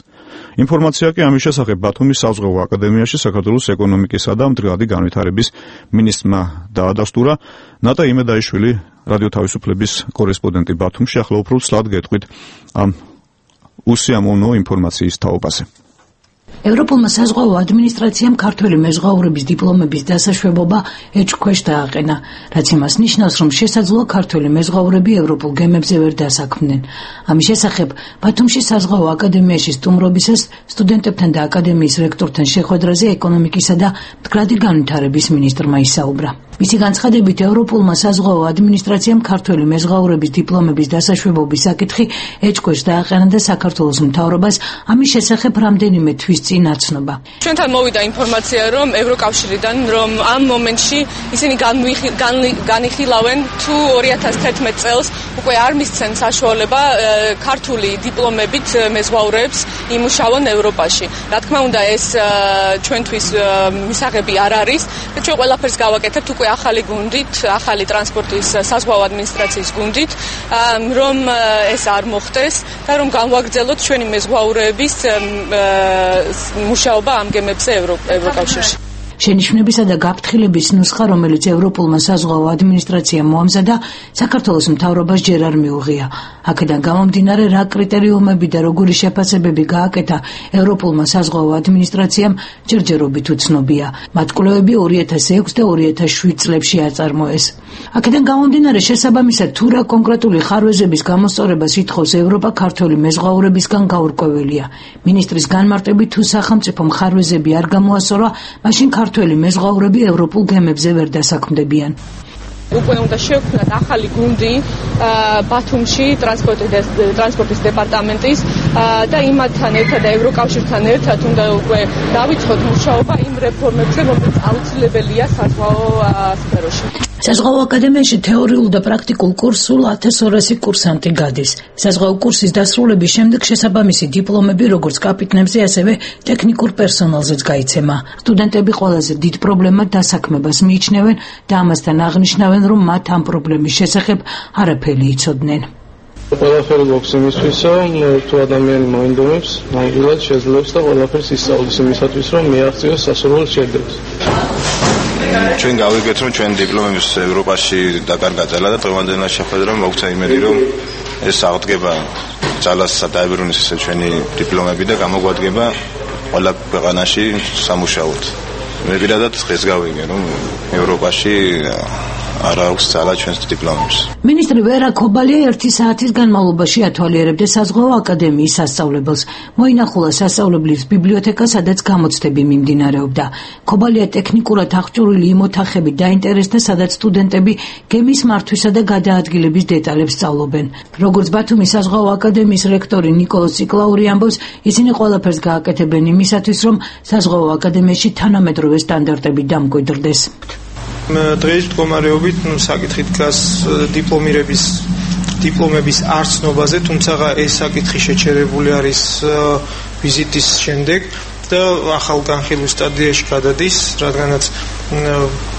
ინფორმაცია კი ამის შესახებ ბათუმის საზღვაო აკადემიაში საქართველოს ეკონომიკისა და მდგრადი განვითარების მინისტრმა დაადასტურა. ნატა იმედაიშვილი, რადიო თავისუფლების კორესპონდენტი ბათუმში, ახლა უფრო ცლად გეტყვით ამ უსიამოვნო ინფორმაციის თაობაზე. ევროპულმა საზღვაო ადმინისტრაციამ ქართველი მეზღვაურების დიპლომების დასაშვებობა ეჭქვეშ დააყენა, რაც იმას ნიშნავს, რომ შესაძლოა ქართველი მეზღვაურები ევროპულ გემებზე ვერ დასაქმდნენ. ამის შესახებ ბათუმში საზღვაო აკადემიაში სტუმრობისას სტუდენტებთან და აკადემიის რექტორთან შეხვედრაზე ეკონომიკისა და მდგრადი განვითარების მინისტრმა ისაუბრა. მისი განცხადებით, ევროპულმა საზღვაო ადმინისტრაციამ ქართველი მეზღვაურების დიპლომების დასაშვებობის საკითხი ეჭქვეშ დააყენა და საქართველოს მთავრობას ამის შესახებ რამდენიმე თვის წინ აცნობა. ჩვენთან მოვიდა ინფორმაცია, რომ ევროკავშირიდან, რომ ამ მომენტში ისინი განიხილავენ თუ ორი ათას თერთმეტ წელს უკვე არ მისცენ საშუალება ქართული დიპლომებით მეზღვაურებს იმუშაონ ევროპაში. რა თქმა უნდა, ეს ჩვენთვის მისაღები არ არის და ჩვენ ყველაფერს გავაკეთებთ უკვე ახალი გუნდით, ახალი ტრანსპორტის საზღვაო ადმინისტრაციის გუნდით, რომ ეს არ მოხდეს და რომ განვაგრძელოთ ჩვენი მეზღვაურების მუშაობა ამ გემებზე ევროკავშირში. შენიშვნებისა და გაფრთხილების ნუსხა, რომელიც ევროპულმა საზღვაო ადმინისტრაციამ მოამზადა, საქართველოს მთავრობას ჯერ არ მიუღია. აქედან გამომდინარე, რა კრიტერიუმები და როგორი შეფასებები გააკეთა ევროპულმა საზღვაო ადმინისტრაციამ, ჯერჯერობით უცნობია. მათ კვლევები ორი ათას ექვსი და ორი ათას შვიდ წლებში აწარმოეს. აქედან გამომდინარე, შესაბამისად თუ რა კონკრეტული ხარვეზების გამოსწორებას ითხოვს ევროპა ქართველი მეზღვაურებისგან გაურკვეველია. მინისტრის განმარტებით, თუ სახელმწიფომ ხარვეზები არ გამოასწორა, მაშინ ქართველი მეზღვაურები ევროპულ გემებზე ვერ დასაქმდებიან. უკვე უნდა შევქმნათ ახალი გუნდი ბათუმში ტრანსპორტის დეპარტამენტის და იმათთან ერთად და ევროკავშირთან ერთად უნდა უკვე დავიწყოთ მუშაობა იმ რეფორმებზე, რომელიც აუცილებელია საზღვაო სფეროში. საზღვაო აკადემიაში თეორიულ და პრაქტიკულ კურსს სულ ათას ორასი კურსანტი გადის. საზღვაო კურსის დასრულების შემდეგ შესაბამისი დიპლომები როგორც კაპიტნებზე, ასევე ტექნიკურ პერსონალზეც გაიცემა. სტუდენტები ყველაზე დიდ პრობლემად დასაქმებას მიიჩნევენ და ამასთან აღნიშნავენ, რომ მათ ამ პრობლემის შესახებ არაფერი იცოდნენ. ყველაფერი გვაქვს იმისთვისო, თუ ადამიანი მოინდომებს, ნამდვილად შეძლებს და ყველაფერს ისწავლის იმისათვის, რომ მიაღწიოს სასურველ შედეგს. ჩვენ გავიგეთ, რომ ჩვენ დიპლომების ევროპაში დაკარგა და დღევანდელი შეხვედრა მოგცა იმედი, რომ ეს აღდგება ძალას დაებრუნეს ესე ჩვენი დიპლომები და გამოგვადგება ყველა ქვეყანაში სამუშაოდ. მე პირადად დღეს გავიგე, რომ ევროპაში არ აქვს ძალა ჩვენს დიპლომებს. მინისტრი ვერა ქობალია ერთი საათის განმავლობაში ათვალიერებდა საზღვაო აკადემიის სასწავლებელს. მოინახულა სასწავლებლის ბიბლიოთეკა, სადაც გამოცდები მიმდინარეობდა. ქობალია ტექნიკურად აღჭურვილი იმ ოთახებით დაინტერესდა, სადაც სტუდენტები გემის მართვისა და გადაადგილების დეტალებს სწავლობენ. როგორც ბათუმის საზღვაო აკადემიის რექტორი ნიკოლოზ ციკლაური ამბობს, ისინი ყველაფერს გააკეთებენ იმისათვის, რომ საზღვაო აკადემიაში თანამედროვე სტანდარტები დამკვიდრდეს. დღეს მდგომარეობით საკითხი დგას დიპლომირების დიპლომების არცნობაზე, თუმცა ეს საკითხი შეჩერებული არის ვიზიტის შემდეგ და ახალ განხილვის სტადიაში გადადის, რადგანაც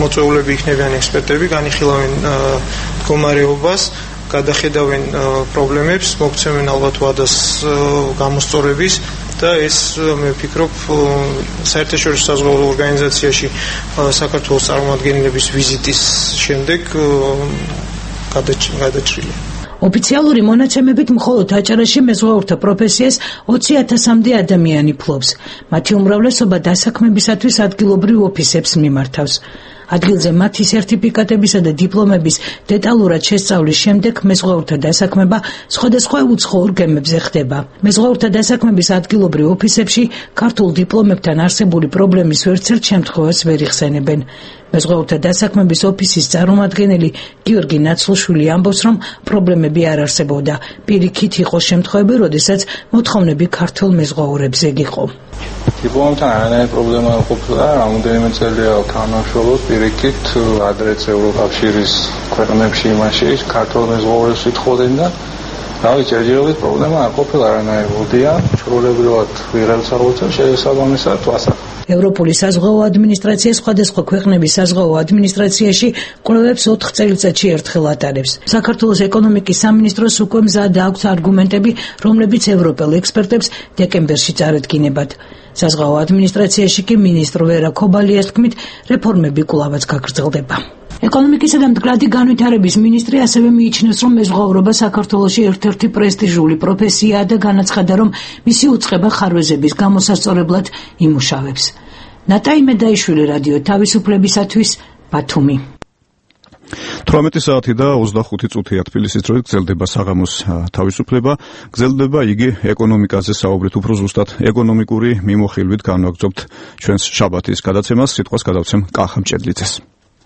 მოწვეულები იქნებიან ექსპერტები, განიხილავენ მდგომარეობას, გადახედავენ პრობლემებს, მოგცემენ ალბათ ვადას გამოსწორების და ეს მე ვფიქრობ საერთაშორისო საზღვაო ორგანიზაციაში საქართველოს წარმომადგენლების ვიზიტის შემდეგ გადაჭრილია. ოფიციალური მონაცემებით მხოლოდ აჭარაში მეზღვაურთა პროფესიას ოცი ათასამდე ადამიანი ფლობს. მათი უმრავლესობა დასაქმებისათვის ადგილობრივ ოფისებს მიმართავს. ადგილზე მათი სერტიფიკატებისა და დიპლომების დეტალურად შესწავლის შემდეგ მეზღვაურთა დასაქმება სხვადასხვა უცხოურ გემებზე ხდება. მეზღვაურთა დასაქმების ადგილობრივ ოფისებში ქართულ დიპლომებთან არსებული პრობლემის ვერცერთ შემთხვევას ვერ იხსენებენ. მეზღვაურთა დასაქმების ოფისის წარმომადგენელი გიორგი ნაცლუშვილი ამბობს, რომ პრობლემები არ არსებობდა. პირიქით იყო შემთხვევები, როდესაც მოთხოვნები ქართულ მეზღვაურებზე იყო. დიპლომთან არანაირი პრობლემა არ ყოფილა, რამოდენიმე წელია თანამშრომლობ პირიქით ადრეც ევროკავშირის ქვეყნებში იმაში ქართულ მეზღვაურებს ვითხოვდნენ და რავი, ჯერჯერობით პრობლემა არ ყოფილა არანაირი. მოდია ჩვეულებრივად ვიღებთ აღოჩენ შესაბამისად ვასახავ. ევროპული საზღვაო ადმინისტრაცია სხვადასხვა ქვეყნების საზღვაო ადმინისტრაციაში კვლევებს ოთხ წელიწადში ერთხელ ატარებს. საქართველოს ეკონომიკის სამინისტროს უკვე მზად აქვს არგუმენტები, რომლებიც ევროპელ ექსპერტებს დეკემბერში წარედგინებათ. საზღვაო ადმინისტრაციაში კი მინისტრ ვერა ქობალიას თქმით, რეფორმები კვლავაც გაგრძელდება. ეკონომიკისა და მდგრადი განვითარების მინისტრი ასევე მიიჩნევს, რომ მეზღვაურობა საქართველოში ერთ-ერთი პრესტიჟული პროფესიაა და განაცხადა, რომ მისი უწყება ხარვეზების გამოსასწორებლად იმუშავებს. ნატაი მედაიშვილი, რადიო თავისუფლებისათვის, ბათუმი. თვრამეტი საათი და ოცდახუთი წუთია თბილისის დროით გრძელდება საღამოს თავისუფლება. გრძელდება იგი ეკონომიკაზე საუბრით, უფრო ზუსტად ეკონომიკური მიმოხილვით განვაგრძობთ ჩვენს შაბათის გადაცემას. სიტყვას გადავცემ კახა მჭედლიძეს.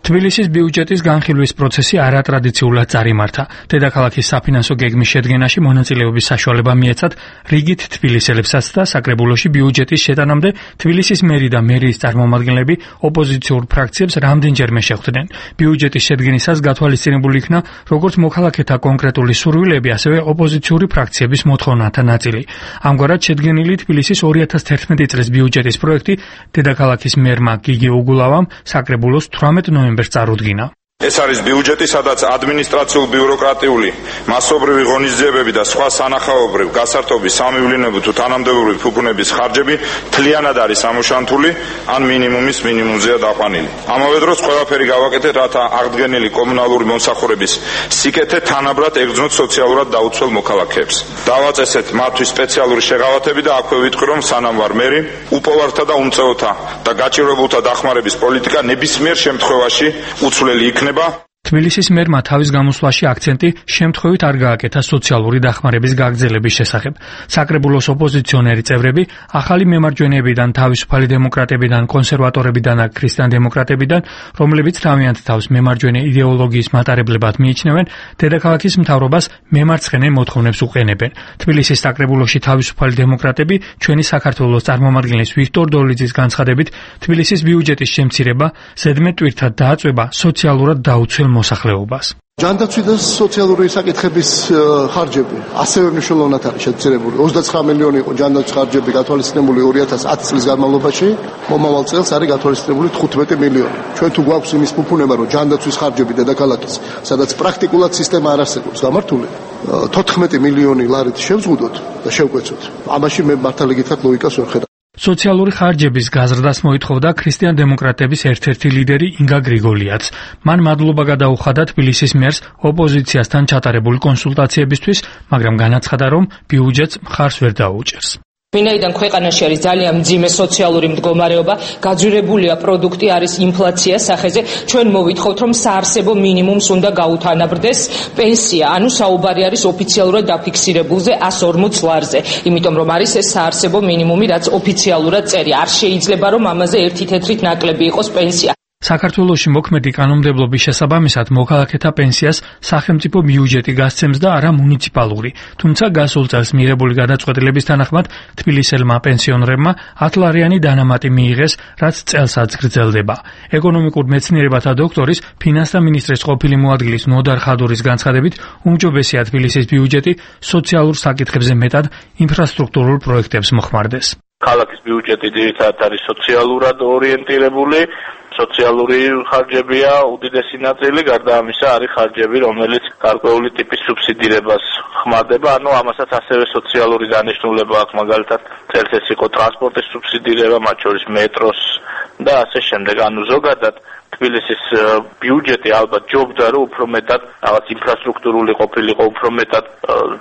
თბილისის ბიუჯეტის განხილვის პროცესი არატრადიციულად წარიმართა. დედაქალაქის საფინანსო გეგმის შედგენაში მონაწილეობის საშუალება მიეცათ რიგით თბილისელებსაც და საკრებულოში ბიუჯეტის შეტანამდე თბილისის მერი და მერიის წარმომადგენლები ოპოზიციურ ფრაქციებს რამდენჯერმე შეხვდნენ. ბიუჯეტის შედგენისას გათვალისწინებული იქნა როგორც მოქალაქეთა კონკრეტული სურვილები, ასევე ოპოზიციური ფრაქციების მოთხოვნათა ნაწილი. ამგვარად შედგენილი თბილისის ორი ათას თერთმეტი წლის ბიუჯეტის პროექტი დედაქალაქის მერმა გიგი უგულავამ საკრებულოს თვრამეტ ნოემბერს წარუდგინა. ეს არის ბიუჯეტი, სადაც ადმინისტრაციულ-ბიუროკრატიული, მასობრივი ღონისძიებები და სხვა სანახაობრივ გასართობის სამივლინებო თუ თანამდებობრივი ფუქუნების ხარჯები მთლიანად არის ამოშანთული, ან მინიმუმის მინიმუმზეა დაყვანილი. ამავე დროს ყველაფერი გავაკეთეთ, რათა აღდგენილი კომუნალური მომსახურების სიკეთე თანაბრად ეგრძნოთ სოციალურად დაუცველ მოქალაქეებს. დავაწესეთ მათთვის სპეციალური შეღავათები და აქვე ვიტყვი, რომ სანამ ვარ მერი, უპოვართა და უმწეოთა და გაჭირვებულთა დახმარების პოლიტიკა ნებისმიერ შემთხვევაში უცვლელი იქნება. თბილისის მერმა თავის გამოსვლაში აქცენტი შემთხვევით არ გააკეთა სოციალური დახმარების გაგრძელების შესახებ. საკრებულოს ოპოზიციონერი წევრები ახალი მემარჯვენეებიდან, თავისუფალი დემოკრატებიდან, კონსერვატორებიდან და ქრისტიან-დემოკრატებიდან, რომლებიც თავიანთ თავს მემარჯვენე იდეოლოგიის მატარებლებად მიიჩნევენ, დედაქალაქის მთავრობას მემარცხენე მოთხოვნებს უყენებენ. თბილისის საკრებულოში თავისუფალი დემოკრატები ჩვენი საქართველოს წარმომადგენლის ვიქტორ დოლიძის განცხადებით, თბილისის ბიუჯეტის შემცირება ზედმეტ ტვირთად დააწვება სოციალურად დაუცველ მოსახლეობას. ჯანდაცვის და სოციალური საკითხების ხარჯები ასევე მნიშვნელოვნად არის შეცვლილი. ოცდაცხრა მილიონი იყო ჯანდაცვის ხარჯები გათვალისწინებული ორი ათას ათი წლის განმავლობაში, მომავალ წელს არის გათვალისწინებული თხუთმეტი მილიონი. ჩვენ თუ გვაქვს იმის ფუფუნება, რომ ჯანდაცვის ხარჯები დედაქალაქის, სადაც პრაქტიკულად სისტემა არ არსებობს გამართული, თოთხმეტი მილიონი ლარით შევზღუდოთ და შევკვეცოთ. ამაში მე მართალი გითხრათ ლოგიკას ვერ ხედავ. სოციალური ხარჯების გაზრდას მოითხოვდა ქრისტიან-დემოკრატების ერთ-ერთი ლიდერი ინგა გრიგოლიაც. მან მადლობა გადაუხადა თბილისის მერს ოპოზიციასთან ჩატარებული კონსულტაციებისთვის, მაგრამ განაცხადა, რომ ბიუჯეტს მხარს ვერ დაუჭერს. ვინაიდან ქვეყანაში არის ძალიან მძიმე სოციალური მდგომარეობა, გაძვირებულია პროდუქტი, არის ინფლაცია სახეზე, ჩვენ მოვითხოვთ, რომ საარსებო მინიმუმს უნდა გაუთანაბრდეს პენსია, ანუ საუბარი არის ოფიციალურად დაფიქსირებულზე εκατს ორმოც ლარზე, იმიტომ რომ არის ეს საარსებო მინიმუმი, რაც ოფიციალურად წერია. არ შეიძლება რომ ამაზე ერთი თეთრით ნაკლები იყოს პენსია. საქართველოში მოქმედი კანონმდებლობის შესაბამისად მოქალაქეთა პენსიას სახელმწიფო ბიუჯეტი გასცემს და არა მუნიციპალური. თუმცა გასულ წელს მიღებული გადაწყვეტილების თანახმად თბილისელმა პენსიონერებმა ათლარიანი დანამატი მიიღეს, რაც წელსაც გრძელდება. ეკონომიკურ მეცნიერებათა დოქტორის, ფინანსთა მინისტრის ყოფილი მოადგილის ნოდარ ხადურის განცხადებით, უმჯობესია თბილისის ბიუჯეტი სოციალურ საკითხებზე მეტად ინფრასტრუქტურულ პროექტებს მოხმარდეს. ქალაქის ბიუჯეტი ძირითადად არის სოციალურად ორიენტირებული. სოციალური ხარჯებია უდიდესი ნაწილი, გარდა ამისა არის ხარჯები, რომელიც გარკვეული ტიპის სუბსიდირებას ხმარდება, ანუ ამასაც ასევე სოციალური დანიშნულება აქვს, მაგალითად წელს ეს იყო ტრანსპორტის სუბსიდირება, მათ შორის მეტროს და ასე შემდეგ. ანუ ზოგადად თბილისის ბიუჯეტი ალბათ ჯობდა, რომ უფრო მეტად რაღაც ინფრასტრუქტურული ყოფილიყო, უფრო მეტად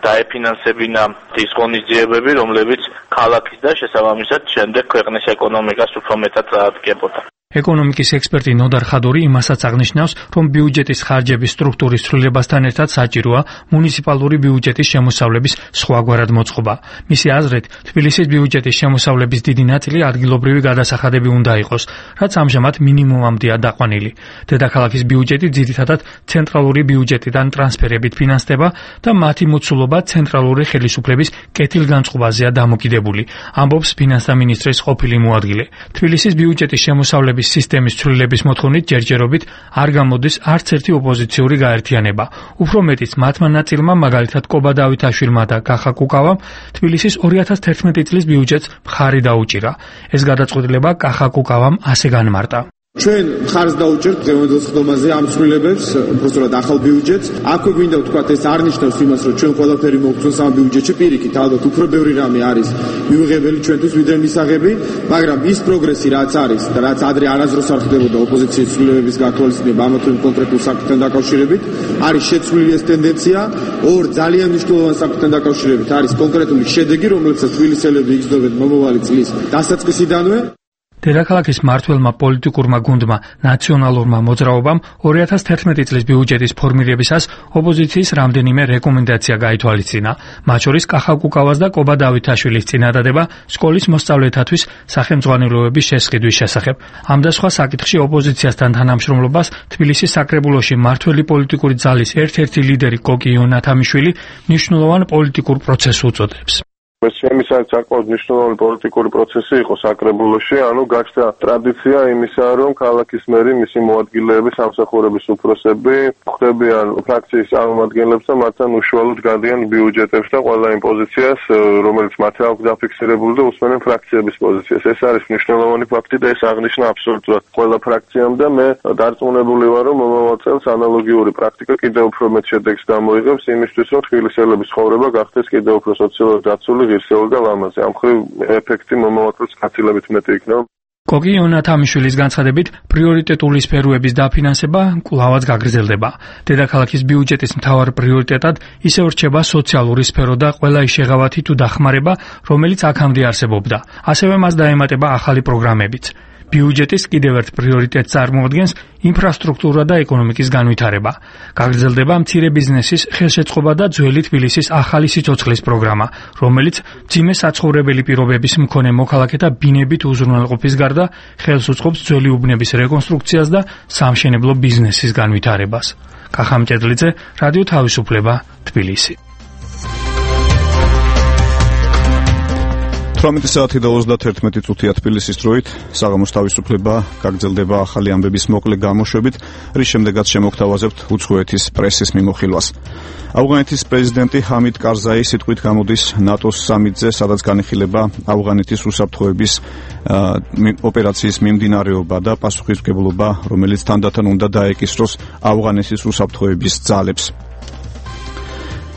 დაეფინანსებინა ის ღონისძიებები, რომლებიც ქალაქის და შესაბამისად შემდეგ ქვეყნის ეკონომიკას უფრო მეტად წაადგებოდა. ეკონომიკის ექსპერტი ნოდარ ხადური იმასაც აღნიშნავს, რომ ბიუჯეტის ხარჯების სტრუქტურის ცვლილებასთან ერთად საჭიროა მუნიციპალური ბიუჯეტის შემოსავლების სხვაგვარად მოწყობა. მისი აზრით, თბილისის ბიუჯეტის შემოსავლების დიდი ნაწილი ადგილობრივი გადასახადები უნდა იყოს, რაც ამჟამად მინიმუმამდეა დაყვანილი. დედაქალაქის ბიუჯეტი ძირითადად ცენტრალური ბიუჯეტიდან ტრანსფერებით ფინანსდება და მათი მოცულობა ცენტრალური ხელისუფლების კეთილგანწყობაზეა დამოკიდებული, ამბობს ფინანსთა მინისტრის ყოფილი მოადგილე. თბილისის ბიუჯეტის შემოსავლების სისტემის ცვლილების მოთხოვნით ჯერჯერობით არ გამოდის არც ერთი ოპოზიციური გაერთიანება. უფრო მეტიც, მათმა ნაწილმა, მაგალითად კობა დავითაშვილმა და კახა კუკავამ, თბილისის ორი ათას თერთმეტი წლის ბიუჯეტს მხარი დაუჭირა. ეს გადაწყვეტილება კახა კუკავამ ასე განმარტა. ჩვენ მხარს დაუჭერთ დღევანდელ ხდომაზე ამ ცვლილებებს, უბრალოდ ახალ ბიუჯეტს. აქვე გვინდა ვთქვათ, ეს არ ნიშნავს იმას, რომ ჩვენ ყველაფერი მოვხსნას ამ ბიუჯეტში, პირიქით, ალბათ უფრო ბევრი რამე არის მიუღებელი ჩვენთვის ვიდრე მისაღები, მაგრამ ის პროგრესი რაც არის და რაც ადრე არასდროს არ ხდებოდა ოპოზიციის ცვლილებების გათვალისწინება ამა თუ იმ კონკრეტულ საკითხთან დაკავშირებით, არის შეცვლილი ეს ტენდენცია. ორ ძალიან მნიშვნელოვან საკითხთან დაკავშირებით არის კონკრეტული შედეგი, რომელსაც თბილისელები იგრძნობენ მომავალი წლის დასაწყისიდანვე. დედაქალაქის მმართველმა პოლიტიკურმა გუნდმა ნაციონალურმა მოძრაობამ ორი ათას თერთმეტი წლის ბიუჯეტის ფორმირებისას ოპოზიციის რამდენიმე რეკომენდაცია გაითვალისწინა. მათ შორის კახაკუკავას და კობა დავითაშვილის წინადადება სკოლის მოსწავლეთათვის სახელმძღვანელოების შესყიდვის შესახებ. ამ და სხვა საკითხში ოპოზიციასთან თანამშრომლობას თბილისის საკრებულოში მმართველი პოლიტიკური ძალის ერთ-ერთი ლიდერი კოკი იონათამიშვილი მნიშვნელოვან პოლიტიკურ პროცესს უწოდებს. ეს შემისად საკმაოდ მნიშვნელოვანი პოლიტიკური პროცესი იყო საკრებულოში, ანუ გაჩნდა ტრადიცია იმისა, რომ ქალაქის მერი, მისი მოადგილეები, სამსახურების უფროსები ხვდებიან ფრაქციის წარმომადგენლებს და მათთან უშუალოდ გადიან ბიუჯეტებს და ყველა იმ პოზიციას, რომელიც მათ აქვს დაფიქსირებული და უსმენენ ფრაქციების პოზიციას. ეს არის მნიშვნელოვანი ფაქტი და ეს აღნიშნა აბსოლუტურად ყველა ფრაქციამ და მე დარწმუნებული ვარ, რომ მომავალ წელს ანალოგიური პრაქტიკა კიდევ უფრო მეტ შედეგს გამოიღებს იმისთვის, რომ თბილისელების ცხოვრება გახდეს კიდევ უფრო სოციალურად დაცული ღირსეული და ლამაზი. ამ მხრივ ეფექტი მომავალ წელს გაცილებით მეტი იქნება. კოკი იონათამიშვილის განცხადებით, პრიორიტეტული სფეროების დაფინანსება კვლავაც გაგრძელდება. დედაქალაქის ბიუჯეტის მთავარ პრიორიტეტად ისევ რჩება სოციალური სფერო და ყველა ის შეღავათი თუ დახმარება, რომელიც აქამდე არსებობდა. ასევე მას დაემატება ახალი პროგრამებიც. ბიუჯეტის კიდევ ერთ პრიორიტეტს წარმოადგენს ინფრასტრუქტურა და ეკონომიკის განვითარება. გაგრძელდება მცირე ბიზნესის ხელშეწყობა და ძველი თბილისის ახალი სიცოცხლის პროგრამა, რომელიც მძიმე საცხოვრებელი პირობების მქონე მოქალაქეთა ბინებით უზრუნველყოფის გარდა ხელს უწყობს ძველი უბნების რეკონსტრუქციას და სამშენებლო ბიზნესის განვითარებას. კახამჭედლიძე, რადიო თავისუფლება, თბილისი. თვრამეტი საათი და ოცდათერთმეტი წუთია თბილისის დროით, საღამოს თავისუფლება გაგრძელდება ახალი ამბების მოკლე გამოშვებით, რის შემდეგაც შემოგთავაზებთ უცხოეთის პრესის მიმოხილვას. ავღანეთის პრეზიდენტი ჰამიდ კარზაი სიტყვით გამოდის ნატოს სამიტზე, სადაც განიხილება ავღანეთის უსაფრთხოების ოპერაციის მიმდინარეობა და პასუხისმგებლობა, რომელიც თანდათან უნდა დაეკისროს ავღანეთის უსაფრთხოების ძალებს.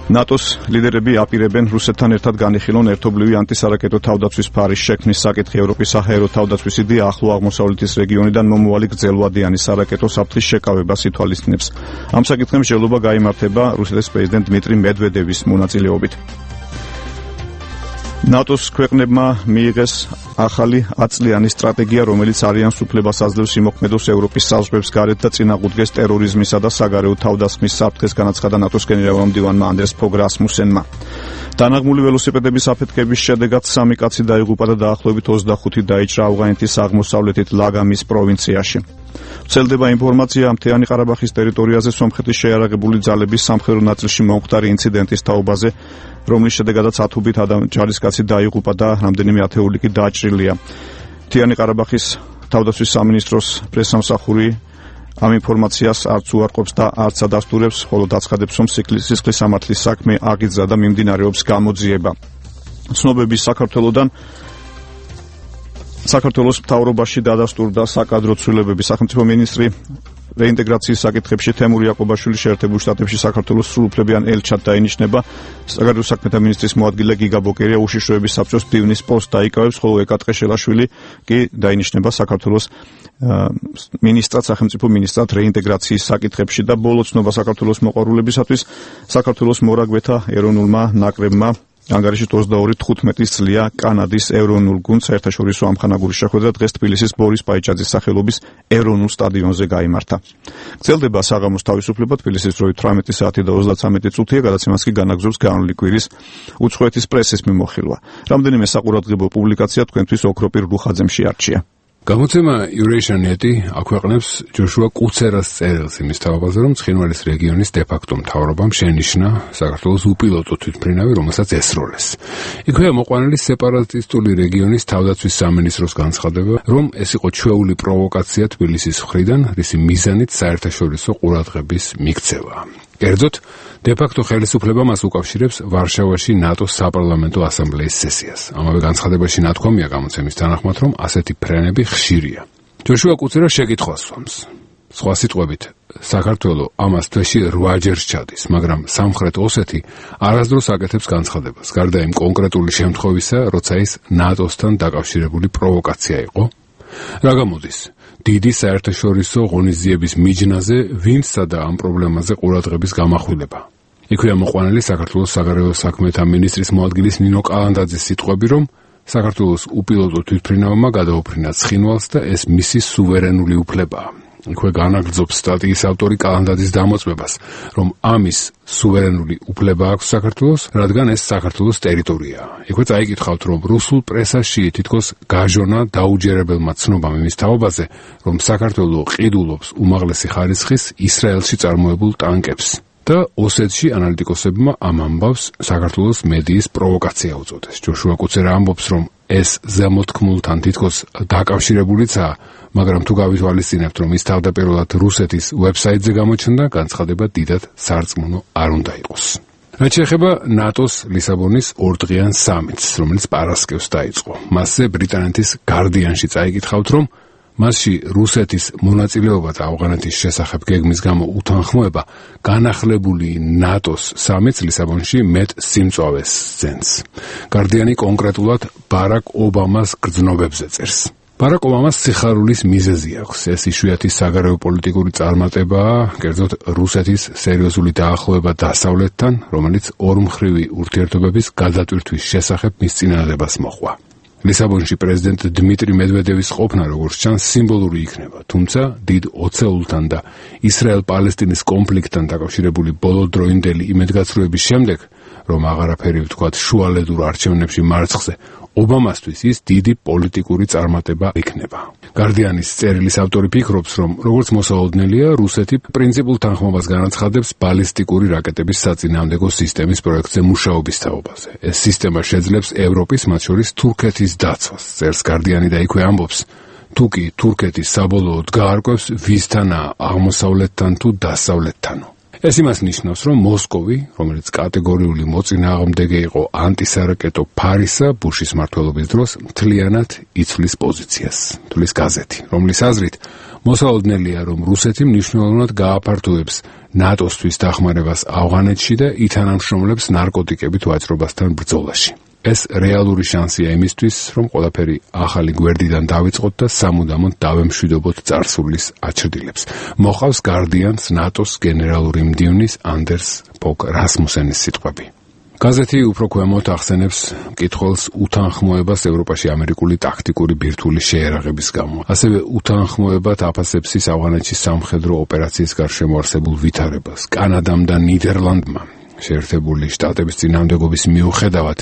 ნატოს ლიდერები აპირებენ რუსეთთან ერთად განიხილონ ერთობლივი ანტისარაკეტო თავდაცვის ფარის შექმნის საკითხი. ევროპის საჰაერო თავდაცვის იდეა ახლო აღმოსავლეთის რეგიონიდან მომავალი გრძელვადიანი სარაკეტო საფრთხის შეკავებას ითვალისწინებს. ამ საკითხზე მსჯელობა გაიმართება რუსეთის პრეზიდენტ დმიტრი მედვედევის მონაწილეობით. ნატოს ქვეყნებმა მიიღეს ახალი ათწლიანი სტრატეგია, რომელიც არიანს უფლებას აძლევს იმოქმედოს ევროპის საზღვრებს გარეთ და წინააღმდეგეს ტერორიზმისა და საგარეო თავდასხმის საფრთხეს, განაცხადა ნატოს გენერალ-მდივანმა ანდრეს ფოგ რასმუსენმა. დანაღმული ველოსიპედების აფეთქების შედეგად სამი კაცი დაიღუპა და დაახლოებით ოცდახუთი დაიჭრა ავღანეთის აღმოსავლეთით ლაგამის პროვინციაში. ვრცელდება ინფორმაცია, მთიანი ყარაბაღის ტერიტორიაზე სომხეთის შეიარაღებული ძალების სამხედრო ნაწილში მომხდარი ინციდენტის თაობაზე, რომლის შედეგადაც ათობით ჯარისკაცი დაიღუპა და რამდენიმე ათეული კი დაჭრილია. მთიანი ყარაბაღის თავდაცვის სამინისტროს პრესსამსახური ამ ინფორმაციას არც უარყოფს და არც ადასტურებს, ხოლო დაცხადებს, რომ სისხლის სამართლის საქმე აღიძრა და მიმდინარეობს გამოძიება. ცნობების საქართველოდან საქართველოს მთავრობაში დადასტურდა საკადრო ცვლილებების სახელმწიფო მინისტრი რეინტეგრაციის საკითხებში თემურ იაკობაშვილი შეერთებულ შტატებში საქართველოს სრულუფლებიან ელჩად დაინიშნება. საგარეო საქმეთა მინისტრის მოადგილე გიგა ბოკერია უშიშროების საბჭოს მდივნის პოსტს დაიკავებს, ხოლო ეკა ტყეშელაშვილი კი დაინიშნება საქართველოს მინისტრად, სახელმწიფო მინისტრად რეინტეგრაციის საკითხებში და ბოლო ცნობა საქართველოს მოყვარულებისათვის საქართველოს მორაგბეთა ეროვნულმა ნაკრებმა ანგარიშით ოცდაორი თხუთმეტი წლია კანადის ეროვნულ გუნდს საერთაშორისო ამხანაგური შეხვედრა დღეს თბილისის ბორის პაიჭაძის სახელობის ეროვნულ სტადიონზე გაიმართა. გრძელდება საღამოს თავისუფლება, თბილისის დროით თვრამეტი საათი და ოცდათერთმეტი წუთია, გადაცემას კი განაგზობს განვლილი კვირის უცხოეთის პრესის მიმოხილვა. რამდენიმე საყურადღებო პუბლიკაცია თქვენთვის ოქროპირ რუხაძემ შეარჩია. გამოცემა Eurasian-eti აქვეყნებს ჯოშუა კუცერას წერილს იმის თავაზე, რომ ცხინვალის რეგიონის დე-ფაქტო მთავრობამ შენიშნა საქართველოს უპილოტო თვითმფრინავი, რომელსაც ესროლეს. იქვეა მოყვანილი სეპარატისტული რეგიონის თავდაცვის სამინისტროს განცხადება, რომ ეს იყო ჩვეული პროვოკაცია თბილისის მხრიდან, რისი მიზანით საერთაშორისო ყურადღების მიქცევა. კერძოდ, დე-ფაქტო ხელისუფლება მას უკავშირებს ვარშავაში ნატოს საპარლამენტო ასამბლეის სესიას. ამავე განცხადებაში ნათქვამია გამოცემის თანახმად, რომ ასეთი ფრენები ხშირია. ჯოშუა კუცერა შეკითხვას სვამს. სხვა სიტყვებით, საქართველო ამას თვეში რვაჯერ ჩადის, მაგრამ სამხრეთ ოსეთი არასდროს აკეთებს განცხადებას, გარდა იმ კონკრეტული შემთხვევისა, როცა ის ნატოსთან დაკავშირებული პროვოკაცია იყო. რა გამოდის? დიდი საერთაშორისო ღონისძიების მიჯნაზე ვინც სადა ამ პრობლემაზე ყურადღების გამახვილება. იქვეა მოყვანილი საქართველოს საგარეო საქმეთა მინისტრის მოადგილის ნინო კალანდაძის სიტყვები, რომ საქართველოს უპილოტო თვითმფრინავმა გადაუფრინა ცხინვალს და ეს მისი სუვერენული უფლებაა. იქვე განაგრძობს სტატიის ავტორი კალანდაძის დამოწმებას, რომ ამის სუვერენული უფლება აქვს საქართველოს, რადგან ეს საქართველოს ტერიტორიაა. იქვე წაიკითხავთ, რომ რუსულ პრესაში თითქოს გაჟონა დაუჯერებელმა ცნობამ იმის თაობაზე, რომ საქართველო ყიდულობს უმაღლესი ხარისხის ისრაელში წარმოებულ ტანკებს. და ოსეთში ანალიტიკოსებმა ამ ამბავს საქართველოს მედიის პროვოკაცია უწოდეს. ჯოშუა კუცერა ამბობს, რომ ეს ზემოთქმულთან თითქოს დაკავშირებულიცაა, მაგრამ თუ გავითვალისწინებთ, რომ ის თავდაპირველად რუსეთის ვებსაიტზე გამოჩნდა, განცხადება დიდად სარწმუნო არ უნდა იყოს. რაც შეეხება ნატოს ლისაბონის ორდღიან სამიტს, რომელიც პარასკევს დაიწყო. მასზე ბრიტანეთის გარდიანში წაიკითხავთ, რომ მასში რუსეთის მონაწილეობა და ავღანეთის შესახებ გეგმის გამო უთანხმოება განახლებული ნატოს სამიტს ლისაბონში მეტ სიმწვავეს ძენს. გარდიანი კონკრეტულად ბარაკ ობამას გრძნობებზე წერს. ბარაკ ობამას სიხარულის მიზეზი აქვს. ეს იშვიათი საგარეო პოლიტიკური წარმატებაა, კერძოდ რუსეთის სერიოზული დაახლოება დასავლეთთან, რომელიც ორმხრივი ურთიერთობების გადატვირთვის შესახებ მის წინადადებას მოჰყვა. ლისაბონში პრეზიდენტ დმიტრი მედვედევის ყოფნა, როგორც ჩანს, სიმბოლური იქნება, თუმცა დიდ ოცეულთან და ისრაელ-პალესტინის კონფლიქტთან დაკავშირებული ბოლოდროინდელი იმედგაცრუების შემდეგ, რომ აღარაფერი ვთქვათ შუალედურ არჩევნებში მარცხზე, ობამასთვის ის დიდი პოლიტიკური წარმატება იქნება. გარდიანის წერილის ავტორი ფიქრობს, რომ როგორც მოსაოდნელია, რუსეთი პრინციპულ თანხმობას განაცხადებს ბალისტიკური რაკეტების საწინააღმდეგო სისტემის პროექტზე მუშაობის თაობაზე. ეს სისტემა შეძლებს ევროპის, მათ შორის თურქეთის დაცვას. წერს გარდიანი და იქვე ამბობს, თუ კი თურქეთი საბოლოოდ გაარკვევს, ვისთანაა აღმოსავლეთთან თუ დასავლეთთანო. ეს იმას ნიშნავს, რომ მოსკოვი, რომელიც კატეგორიული მოწინააღმდეგე იყო ანტისარაკეტო ფარისა ბუშის მმართველობის დროს, მთლიანად იცვლის პოზიციას, თulis გაზეთი, რომლის აზრით მოსაოდნელია, რომ რუსეთი მნიშვნელოვნად გააფართოვებს ნატოსთვის დახმარებას ავღანეთში და ითანამშრომლებს ნარკოტიკებით ვაჭრობასთან ბრძოლაში. ეს რეალური შანსია იმისთვის, რომ ყველაფერი ახალი გვერდიდან დავიწყოთ და სამუდამოდ დავემშვიდობოთ წარსულის აჩრდილებს. მოყავს გარდიანს ნატოს გენერალური მდივნის ანდერს ფოგ რასმუსენის სიტყვები. გაზეთი უფრო ქვემოთ ახსენებს მკითხველს უთანხმოებას ევროპაში ამერიკული ტაქტიკური ბირთვული შეერაღების გამო. ასევე უთანხმოებად აფასებს ის ავღანეთში სამხედრო ოპერაციის გარშემო არსებულ ვითარებას. კანადამ და ნიდერლანდმა შეერთებული შტატების წინააღმდეგობის მიუხედავად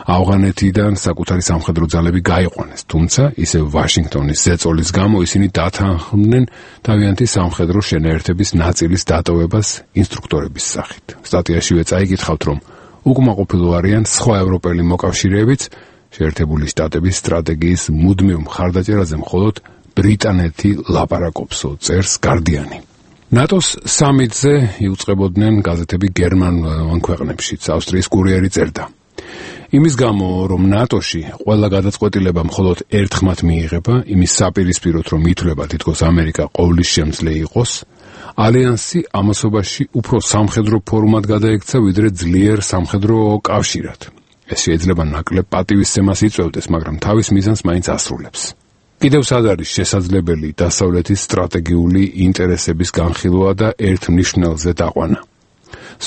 ავღანეთიდან საკუთარი სამხედრო ძალები გაიყვანეს, თუმცა ისევ ვაშინგტონის ზეწოლის გამო ისინი დათანხმდნენ თავიანთი სამხედრო შენაერთების ნაწილის დატოვებას ინსტრუქტორების სახით. სტატიაშივე წაიკითხავთ, რომ უკმაყოფილო არიან სხვა ევროპელი მოკავშირეებიც შეერთებული შტატების სტრატეგიის მუდმივ მხარდაჭერაზე მხოლოდ ბრიტანეთი ლაპარაკობსო, წერს გარდიანი. ნატოს სამიტზე იუწყებოდნენ გაზეთები გერმანულ ქვეყნებშიც, ავსტრიის კურიერი წერდა. იმის გამო, რომ ნატოში ყველა გადაწყვეტილება მხოლოდ ერთხმად მიიღება, იმის საპირისპიროდ, რომ ითვლება თითქოს ამერიკა ყოვლის შემძლე იყოს, ალიანსი ამასობაში უფრო სამხედრო ფორმად გადაიქცა, ვიდრე ძლიერ სამხედრო კავშირად. ეს შეიძლება ნაკლებ პატივისცემას იწვევდეს, მაგრამ თავის მიზანს მაინც ასრულებს. კიდევ სად არის შესაძლებელი დასავლეთის სტრატეგიული ინტერესების განხილვა და ერთ მნიშვნელზე დაყვანა.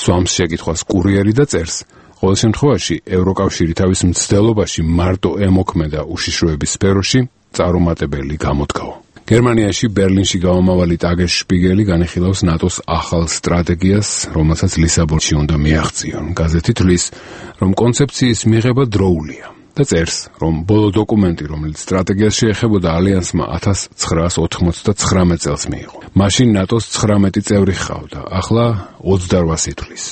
სვამს შეკითხვას კურიერი და წერს, ყოველ შემთხვევაში ევროკავშირი თავის მცდელობაში მარტო ემოქმედა უშიშროების სფეროში წარუმატებელი გამოდგაო. გერმანიაში ბერლინში გამომავალი ტაგეს შპიგელი განიხილავს ნატოს ახალ სტრატეგიას, რომელსაც ლისაბონში უნდა მიაღწიონ. გაზეთი თვლის, რომ კონცეფციის მიღება დროულია. და წერს, რომ ბოლო დოკუმენტი, რომელიც სტრატეგიას შეეხებოდა ალიანსმა ათას ცხრაას ოთხმოცდათხრამეტ წელს მიიღო. მაშინ ნატოს ცხრამეტი წევრი ჰყავდა, ახლა ოცდარვას ითვლის.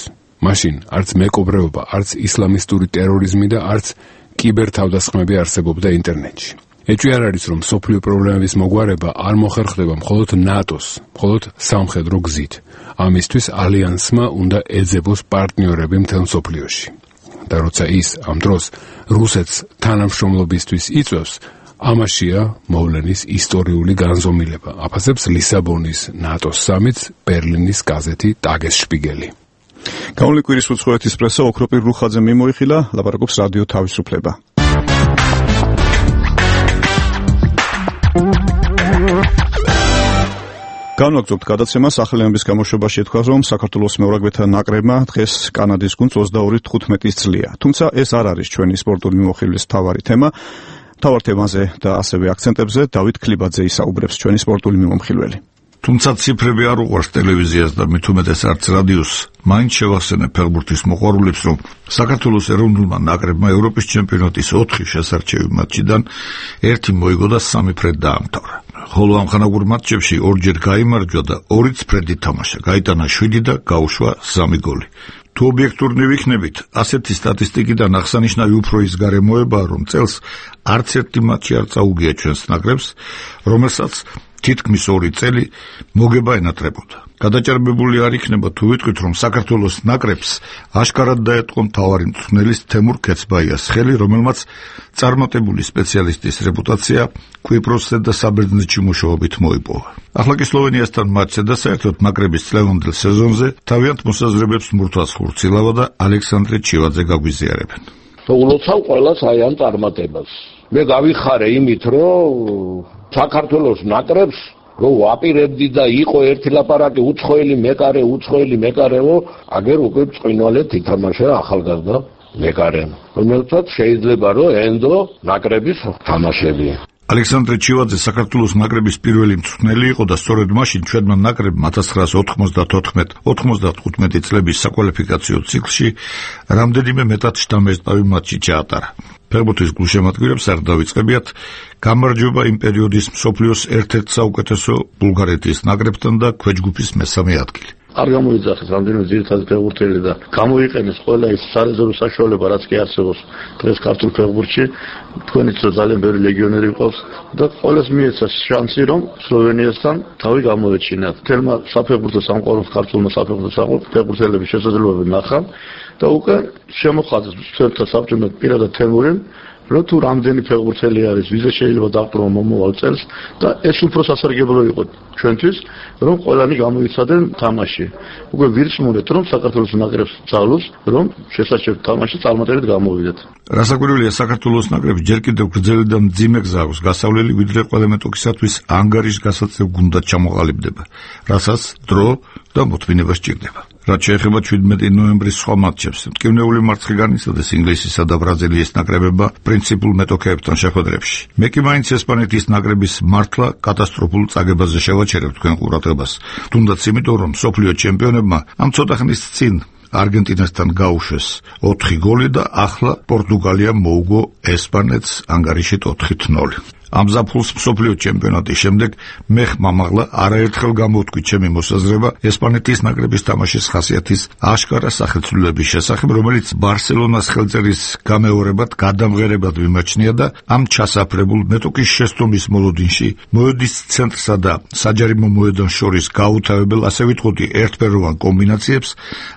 მაშინ არც მეკობრეობა, არც ისლამისტური ტერორიზმი და არც კიბერთავდასხმები არსებობდა ინტერნეტში. ეჭვი არ არის, რომ სოფლიო პრობლემების მოგვარება არ მოხერხდება მხოლოდ ნატოს, მხოლოდ სამხედრო გზით. ამისთვის ალიანსმა უნდა ეძებოს პარტნიორები მთელ სოფლიოში. და როცა ის ამ დროს რუსეთს თანამშრომლობისთვის იწვევს, ამაშია მოვლენის ისტორიული განზომილება. აფასებს ლისაბონის ნატოს სამიტს ბერლინის გაზეთი ტაგესშპიგელი. გამოვლენილი კვირის უცხოეთის პრესა ოქროპირ რუხაძე მიმოიხილა, ლაპარაკობს რადიო თავისუფლება. განვაგრძობთ გადაცემა სახელმწიფოს გამოშვებაში ეთქვას, რომ საქართველოს მეურვებეთა ნაკრებმა დღეს კანადის გუნდს ოცდაორი თხუთმეტი წლია. თუმცა ეს არ არის ჩვენი სპორტული მიმოხილვის მთავარი თემა. მთავარ თემაზე და ასევე აქცენტებზე დავით ქლიბაძე ისაუბრებს, ჩვენი სპორტული მიმოხილველი. თუმცა ციფრები არ უყვარს ტელევიზიას და მით უმეტეს არც რადიოს, მაინც შევახსენებ ფეხბურთის მოყვარულებს, რომ საქართველოს ეროვნულმა ნაკრებმა ევროპის ჩემპიონატის ოთხი შესარჩევი მატჩიდან ერთი მოიგო და სამი ფრედ დაამთავრა. ხოლო ამხანაგურ მატჩებში ორჯერ გაიმარჯვა და ორიც ფრედი თამაშა, გაიტანა შვიდი და გაუშვა სამი გოლი. თუ ობიექტურნი ვიქნებით, ასეთი სტატისტიკიდან აღსანიშნავი უფრო ის გარემოებაა, რომ წელს არც ერთი მატჩი არ წაუგია ჩვენს ნაკრებს, რომელსაც თითქმის ორი წელი მოგება ენატრებოდა. გადაჭარბებული არ იქნება თუ ვიტყვით, რომ საქართველოს ნაკრებს აშკარად დაეტყო მთავარი მწვრთნელის თემურ ქეცბაიას ხელი, რომელმაც წარმატებული სპეციალისტის რეპუტაცია კვიპროსზე და საბერძნეთში მუშაობით მოიპოვა. ახლა კი სლოვენიასთან მატჩზე და საერთოდ ნაკრების წლევანდელ სეზონზე თავიანთ მოსაზრებებს მურთვას ხურცილავა და ალექსანდრე ჩივაძე გაგვიზიარებენ. ულოცავ ყველას აი ამ წარმატებას. მე გავიხარე იმით, რომ საქართველოს ნაკრებს რო ვაპირებდი და იყო ერთი ლაპარაკი უცხოელი მეკარე, უცხოელი მეკარეო, აგერ უკვე წვინვალეთ ითამაშა ახალგაზრდა მეკარე, რომელსაც შეიძლება რომ ენდო ნაკრების თამაშები. ალექსანდრე ჩივაძე საქართველოს ნაკრების პირველი მწვრთნელი იყო და სწორედ მაშინ ჩვენმა ნაკრებმა ათას ცხრაას ოთხმოცდათოთხმეტ ოთხმოცდათხუთმეტი წლების საკვალიფიკაციო ციკლში რამდენიმე მეტად შთამბეჭდავი მატჩი ჩაატარა. ფეხბურთის გულშემატკივრებს არ დავიწყებიათ გამარჯვება იმ პერიოდის მსოფლიოს ერთ-ერთ საუკეთესო ბულგარეთის ნაკრებთან და ქვეჯგუფის მესამე ადგილი. არ გამოიძახეს რამდენიმე ძირითადი ფეხბურთელი და გამოიყენეს ყველა ის სარეზერვო საშუალება, რაც კი არსებობს დღეს ქართულ ფეხბურთში. თქვენიც ძალიან ბევრი ლეგიონერი ყავს და ყველას მიეცა შანსი, რომ სლოვენიასთან თავი გამოეჩინათ. თელმა საფეხბურთო სამყაროს ქართულმა საფეხბურთო ფეხბურთელების შესაძლებლობები ნახა და უკვე შემოხაზეს ჩვენთან საბჭოთა პირადად თემური, რომ თუ რამდენი ფეხბურთელი არის, ვიზე შეიძლება დაყრდნო მომავალ წელს და ეს უფრო სასარგებლო იყო ჩვენთვის, რომ ყველანი გამოიცადნენ თამაში. უკვე ვირწმუნეთ, რომ საქართველოს ნაკრებს ძალოს, რომ შესაძლოა თამაში წარმატებით გამოვიდეთ. რასაკვირველია, საქართველოს ნაკრებს ჯერ კიდევ გრძელი და მძიმე გზა აქვს გასავლელი, ვიდრე ყველა მეტოქისათვის ანგარიშ გასაწევ გუნდად ჩამოყალიბდება, რასაც დრო და მოთმინება სჭირდება. რაც შეეხება შვიდმეტი ნოემბრის სხვა მატჩებს, მტკივნეული მარცხი განიცადეს ინგლისისა და ბრაზილიის ნაკრებებმა პრინციპულ მეტოქეებთან შეხვედრებში. მე კი მაინც ესპანეთის ნაკრების მართლა კატასტროფულ წაგებაზე შევაჩერებ თქვენ ყურადღებას, თუნდაც იმიტომ, რომ მსოფლიო ჩემპიონებმა ამ ცოტა ხნის წინ არგენტინასთან გაუშვეს ოთხი გოლი და ახლა პორტუგალიამ მოუგო ესპანეთს ანგარიშით ოთხი ნული. ამ ზაფხულს მსოფლიო ჩემპიონატის შემდეგ მე ხმამაღლა არაერთხელ გამოვთქვი ჩემი მოსაზრება ესპანეთის ნაკრების თამაშის ხასიათის აშკარა სახეცვლილების შესახებ, რომელიც ბარსელონას ხელწერის გამეორებად გადამღერებად მიმაჩნია და ამ ჩასაფრებულ მეტოქის შეცდომის მოლოდინში მოედის ცენტრსა და საჯარიმო მოედანს შორის გაუთავებელ, ასე ვიტყოდი, ერთფეროვან კომბინაციებს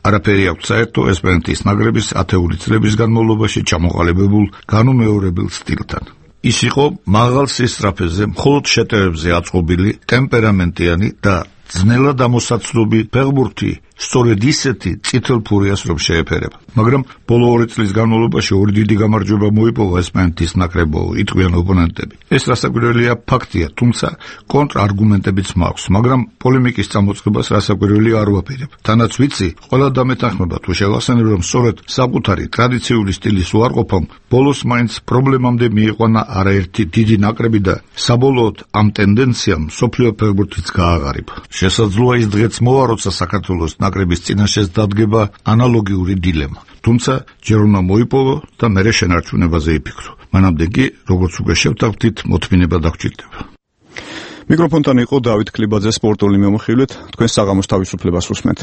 არაფერი აქვს საერთო ესპანეთის ნაკრების ათეული წლების განმავლობაში ჩამოყალიბებულ განუმეორებელ სტილთან. ის იყო მაღალ სისწრაფეზე, მხოლოდ შეტევებზე აწყობილი, ტემპერამენტიანი და ძნელად ამოსაცნობი ფეხბურთი სწორედ ისეთი წითელ ფურიას რომ შეეფერება. მაგრამ ბოლო ორი წლის განმავლობაში ორი დიდი გამარჯვება მოიპოვა ესპანეთის ნაკრებო, იტყვიან ოპონენტები. ეს რასაკვირველია ფაქტია, თუმცა კონტრარგუმენტებიც მაქვს, მაგრამ პოლემიკის წამოწყებას რასაკვირველი არ ვაპირებ. თანაც ვიცი, ყველა დამეთანხმება თუ შევახსენებ, რომ სწორედ საკუთარი ტრადიციული სტილის უარყოფამ ბოლოს მაინც პრობლემამდე მიიყვანა არაერთი დიდი ნაკრები და საბოლოოდ ამ ტენდენციამ მსოფლიო ფეხბურთიც გააღარიბა. შესაძლოა ის დღეც მოვა, როცა საქართველოს ნაკრების წინაშეს დადგება ანალოგიური დილემა. თუმცა ჯერ უნდა მოიპოვო და მერე შენარჩუნებაზე იფიქრო. მანამდე კი, როგორც უკვე შევთანხმდით, მოთმინება დაგჭირდება. მიკროფონთან იყო დავით ქლიბაძე სპორტული მიმოხილვით, თქვენ საღამოს თავისუფლებას უსმენთ.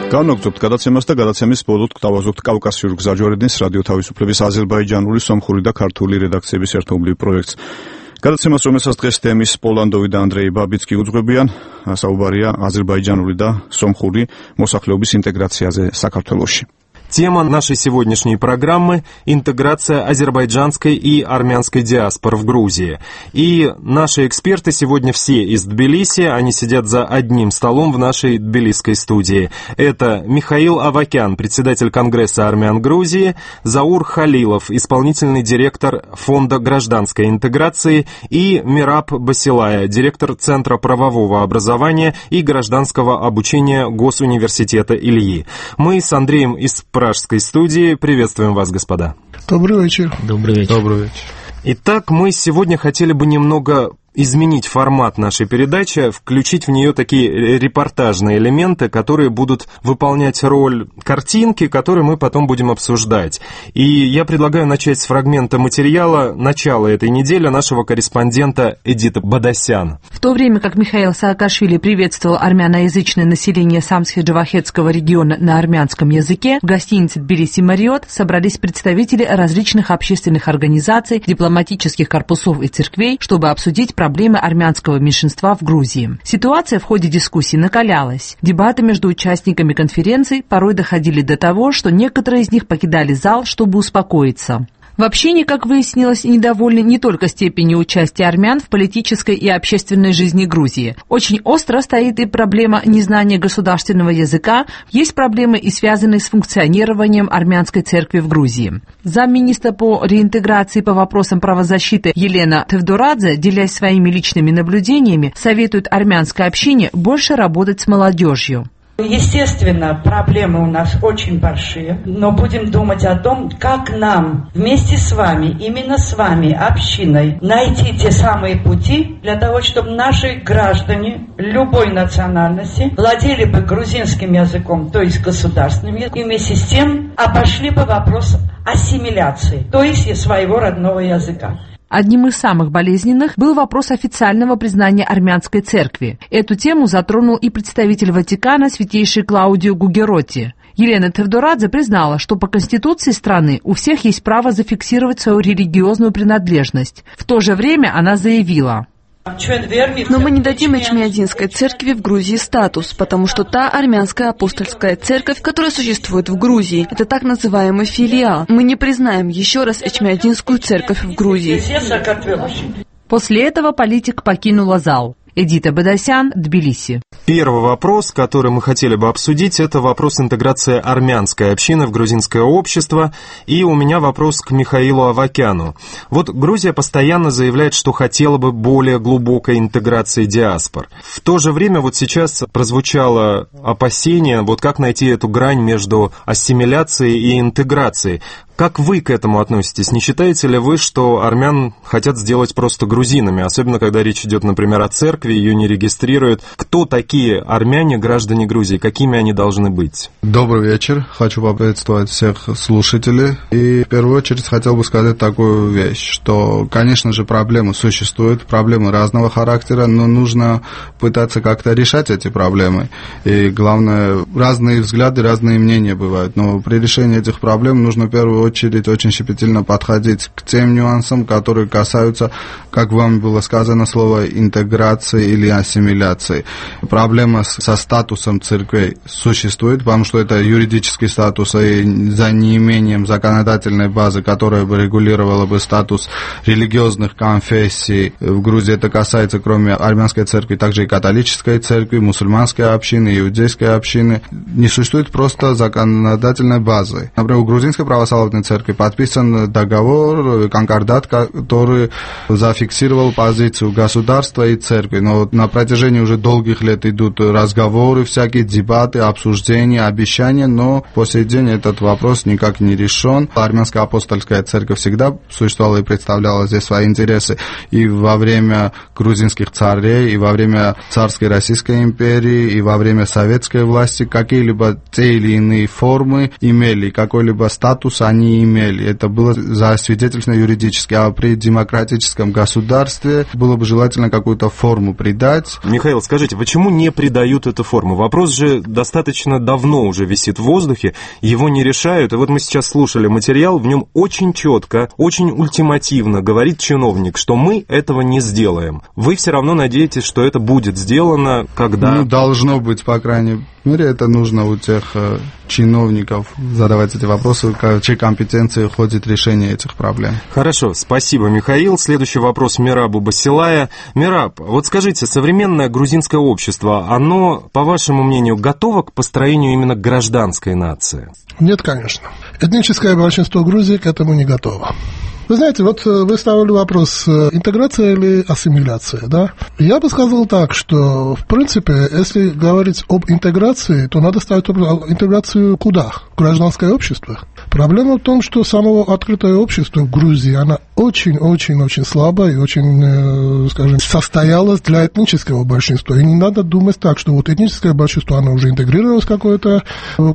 განვაგრძობთ გადაცემას და გადაცემის ბოლოდ გავაზრდოთ კავკასიურ გზაჯვარედინს რადიო თავისუფლების აზერბაიჯანული, სომხური და ქართული რედაქციების ერთობლივ პროექტს. გადაცემას, რომელსაც დღეს თემის პოლანდოვი და ანდრეი ბაბიცკი უძღვებიან, საუბარია აზერბაიჯანული და სომხური მოსახლეობის ინტეგრაციაზე საქართველოში. Тема нашей сегодняшней программы – интеграция азербайджанской и армянской диаспор в Грузии. И наши эксперты сегодня все из Тбилиси, они сидят за одним столом в нашей тбилисской студии. Это Михаил Авакян, председатель Конгресса армян Грузии, Заур Халилов, исполнительный директор Фонда гражданской интеграции, и Мираб Басилая, директор Центра правового образования и гражданского обучения Госуниверситета Ильи. Мы с Андреем из Пражской студии. Приветствуем вас, господа. Добрый вечер. Добрый вечер. Добрый вечер. Итак, мы сегодня хотели бы немного изменить формат нашей передачи, включить в нее такие репортажные элементы, которые будут выполнять роль картинки, которые мы потом будем обсуждать. И я предлагаю начать с фрагмента материала начала этой недели нашего корреспондента Эдиты Бадасян. В то время как Михаил Саакашвили приветствовал армяноязычное население Самсхи-Джавахетского региона на армянском языке, в гостинице Тбилиси Мариот собрались представители различных общественных организаций, дипломатических корпусов и церквей, чтобы обсудить проблемы проблемы армянского меньшинства в Грузии. Ситуация в ходе дискуссии накалялась. Дебаты между участниками конференции порой доходили до того, что некоторые из них покидали зал, чтобы успокоиться. В общении, как выяснилось, недовольны не только степенью участия армян в политической и общественной жизни Грузии. Очень остро стоит и проблема незнания государственного языка, есть проблемы и связанные с функционированием армянской церкви в Грузии. Замминистра по реинтеграции по вопросам правозащиты Елена Тевдорадзе, делясь своими личными наблюдениями, советует армянской общине больше работать с молодежью. Естественно, проблемы у нас очень большие, но будем думать о том, как нам вместе с вами, именно с вами, общиной, найти те самые пути для того, чтобы наши граждане любой национальности владели бы грузинским языком, то есть государственным языком, и вместе с тем обошли бы вопрос ассимиляции, то есть своего родного языка. Одним из самых болезненных был вопрос официального признания армянской церкви. Эту тему затронул и представитель Ватикана святейший Клаудио Гугеротти. Елена Тевдорадзе признала, что по конституции страны у всех есть право зафиксировать свою религиозную принадлежность. В то же время она заявила: но мы не дадим Эчмиадзинской церкви в Грузии статус, потому что та армянская апостольская церковь, которая существует в Грузии, это так называемый филиал. Мы не признаем еще раз Эчмиадзинскую церковь в Грузии. После этого политик покинула зал. Эдита Бадасян, Тбилиси. Первый вопрос, который мы хотели бы обсудить, это вопрос интеграции армянской общины в грузинское общество. И у меня вопрос к Михаилу Авакяну. Вот Грузия постоянно заявляет, что хотела бы более глубокой интеграции диаспор. В то же время вот сейчас прозвучало опасение, вот как найти эту грань между ассимиляцией и интеграцией. Как вы к этому относитесь? Не считаете ли вы, что армян хотят сделать просто грузинами, особенно когда речь идет, например, о церкви, ее не регистрируют? Кто такие армяне, граждане Грузии? Какими они должны быть? Добрый вечер. Хочу поприветствовать всех слушателей. И в первую очередь хотел бы сказать такую вещь, что, конечно же, проблемы существуют, проблемы разного характера, но нужно пытаться как-то решать эти проблемы. И главное, разные взгляды, разные мнения бывают. Но при решении этих проблем нужно в первую очередь очередь очень щепетильно подходить к тем нюансам, которые касаются, как вам было сказано, слова интеграции или ассимиляции. Проблема со статусом церквей существует, потому что это юридический статус, и за неимением законодательной базы, которая бы регулировала бы статус религиозных конфессий в Грузии, это касается, кроме армянской церкви, также и католической церкви, мусульманской общины, иудейской общины. Не существует просто законодательной базы. Например, у грузинской православной церкви подписан договор, конкордат, который зафиксировал позицию государства и церкви. Но на протяжении уже долгих лет идут разговоры, всякие дебаты, обсуждения, обещания, но по сей день этот вопрос никак не решен. Армянская апостольская церковь всегда существовала и представляла здесь свои интересы и во время грузинских царей, и во время царской Российской империи, и во время советской власти. Какие-либо те или иные формы имели, какой-либо статус они не имели. Это было засвидетельствовано юридически. А при демократическом государстве было бы желательно какую-то форму придать. Михаил, скажите, почему не придают эту форму? Вопрос же достаточно давно уже висит в воздухе, его не решают. И вот мы сейчас слушали материал, в нем очень четко, очень ультимативно говорит чиновник, что мы этого не сделаем. Вы все равно надеетесь, что это будет сделано, когда... Ну, должно быть, по крайней мере, это нужно у тех э, чиновников задавать эти вопросы, в чьей компетенции входит решение этих проблем. Хорошо, спасибо, Михаил. Следующий вопрос Мерабу Басилая. Мераб, вот скажите, современное грузинское общество, оно, по вашему мнению, готово к построению именно гражданской нации? Нет, конечно. Этническое большинство Грузии к этому не готово. Вы знаете, вот вы ставили вопрос, интеграция или ассимиляция, да? Я бы сказал так, что, в принципе, если говорить об интеграции, то надо ставить интеграцию куда? В гражданское общество. Проблема в том, что само открытое общество в Грузии, оно очень-очень-очень слабо и очень, скажем, состоялось для этнического большинства. И не надо думать так, что вот этническое большинство, оно уже интегрировалось в какую-то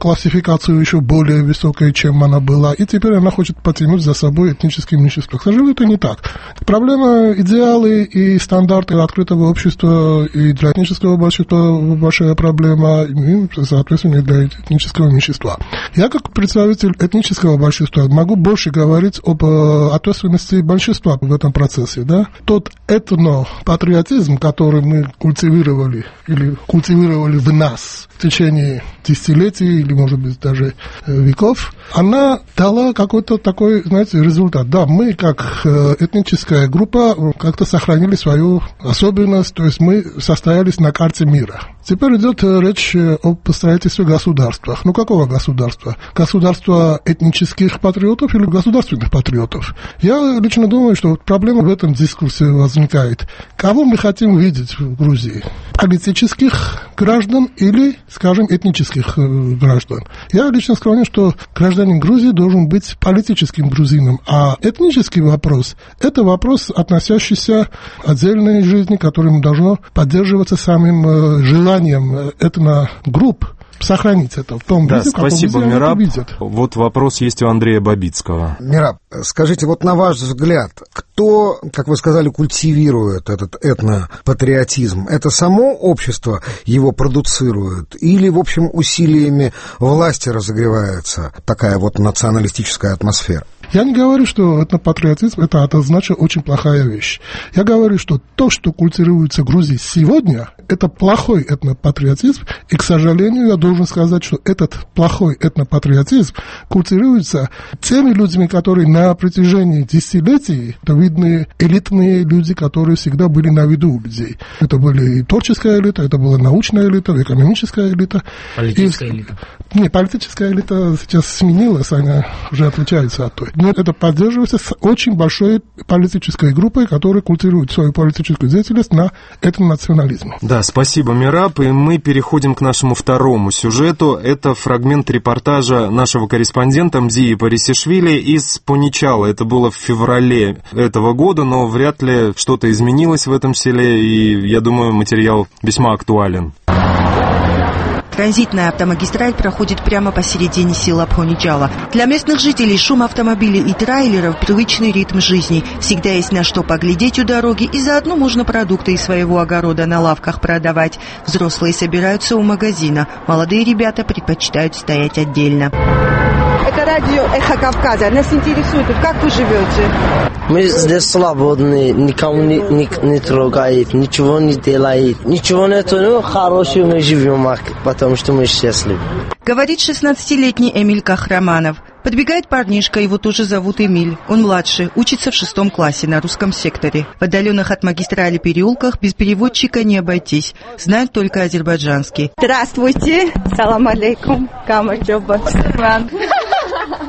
классификацию еще более высокой, чем она была, и теперь она хочет потянуть за собой этнические меньшинства. К сожалению, это не так. Проблема, идеалы и стандарты открытого общества и для этнического большинства большая проблема, и, соответственно, и для этнического меньшинства. Я, как представитель этнического большинства, могу больше говорить об ответственности большинства в этом процессе. Да? Тот этнопатриотизм, который мы культивировали или культивировали в нас в течение десятилетий или, может быть, даже веков, она дала какой-то такой, знаете, результат. Да, мы, как этническая группа, как-то сохранили свою особенность, то есть мы состоялись на карте мира. Теперь идет речь об строительстве государства. Ну, какого государства? Государства этнических патриотов или государственных патриотов? Я лично думаю, что проблема в этом дискурсе возникает. Кого мы хотим видеть в Грузии? Политических граждан или, скажем, этнических граждан? Я лично склонен, что гражданин Грузии должен быть политическим грузином, а этнический вопрос – это вопрос, относящийся к отдельной жизни, которым должно поддерживаться самим желанием этногрупп сохранить это в том да, виде, в каком спасибо, виде Мераб. они это видят. Вот вопрос есть у Андрея Бабицкого. Мераб, скажите, вот на ваш взгляд, кто, как вы сказали, культивирует этот этнопатриотизм? Это само общество его продуцирует или, в общем, усилиями власти разогревается такая вот националистическая атмосфера? Я не говорю, что этнопатриотизм – это однозначно очень плохая вещь. Я говорю, что то, что культивируется в Грузии сегодня, это плохой этнопатриотизм, и, к сожалению, я должен сказать, что этот плохой этнопатриотизм культивируется теми людьми, которые на протяжении десятилетий, это видны элитные люди, которые всегда были на виду у людей. Это были и творческая элита, это была научная элита, экономическая элита. Политическая и... элита. Не, политическая элита сейчас сменилась, она уже отличается от той. Но это поддерживается с очень большой политической группой, которая культивирует свою политическую деятельность на этом национализме. Да, спасибо, Мераб. И мы переходим к нашему второму сюжету. Это фрагмент репортажа нашего корреспондента Мзии Парисишвили из Поничала. Это было в феврале этого года, но вряд ли что-то изменилось в этом селе, и я думаю, материал весьма актуален. Транзитная автомагистраль проходит прямо посередине села Поничала. Для местных жителей шум автомобилей и трейлеров – привычный ритм жизни. Всегда есть на что поглядеть у дороги, и заодно можно продукты из своего огорода на лавках продавать. Взрослые собираются у магазина. Молодые ребята предпочитают стоять отдельно. Это радио «Эхо Кавказа». Нас интересует, как вы живете? Мы здесь свободны, никому не, не, не трогает, ничего не делает. Ничего нету, ну, хорошо мы живем, потому что мы счастливы. Говорит шестнадцатилетний Эмиль Кахраманов. Подбегает парнишка, его тоже зовут Эмиль. Он младший, учится в шестом классе на русском секторе. В отдаленных от магистрали переулках без переводчика не обойтись. Знают только азербайджанский. Здравствуйте. Салам алейкум. Камаджоба.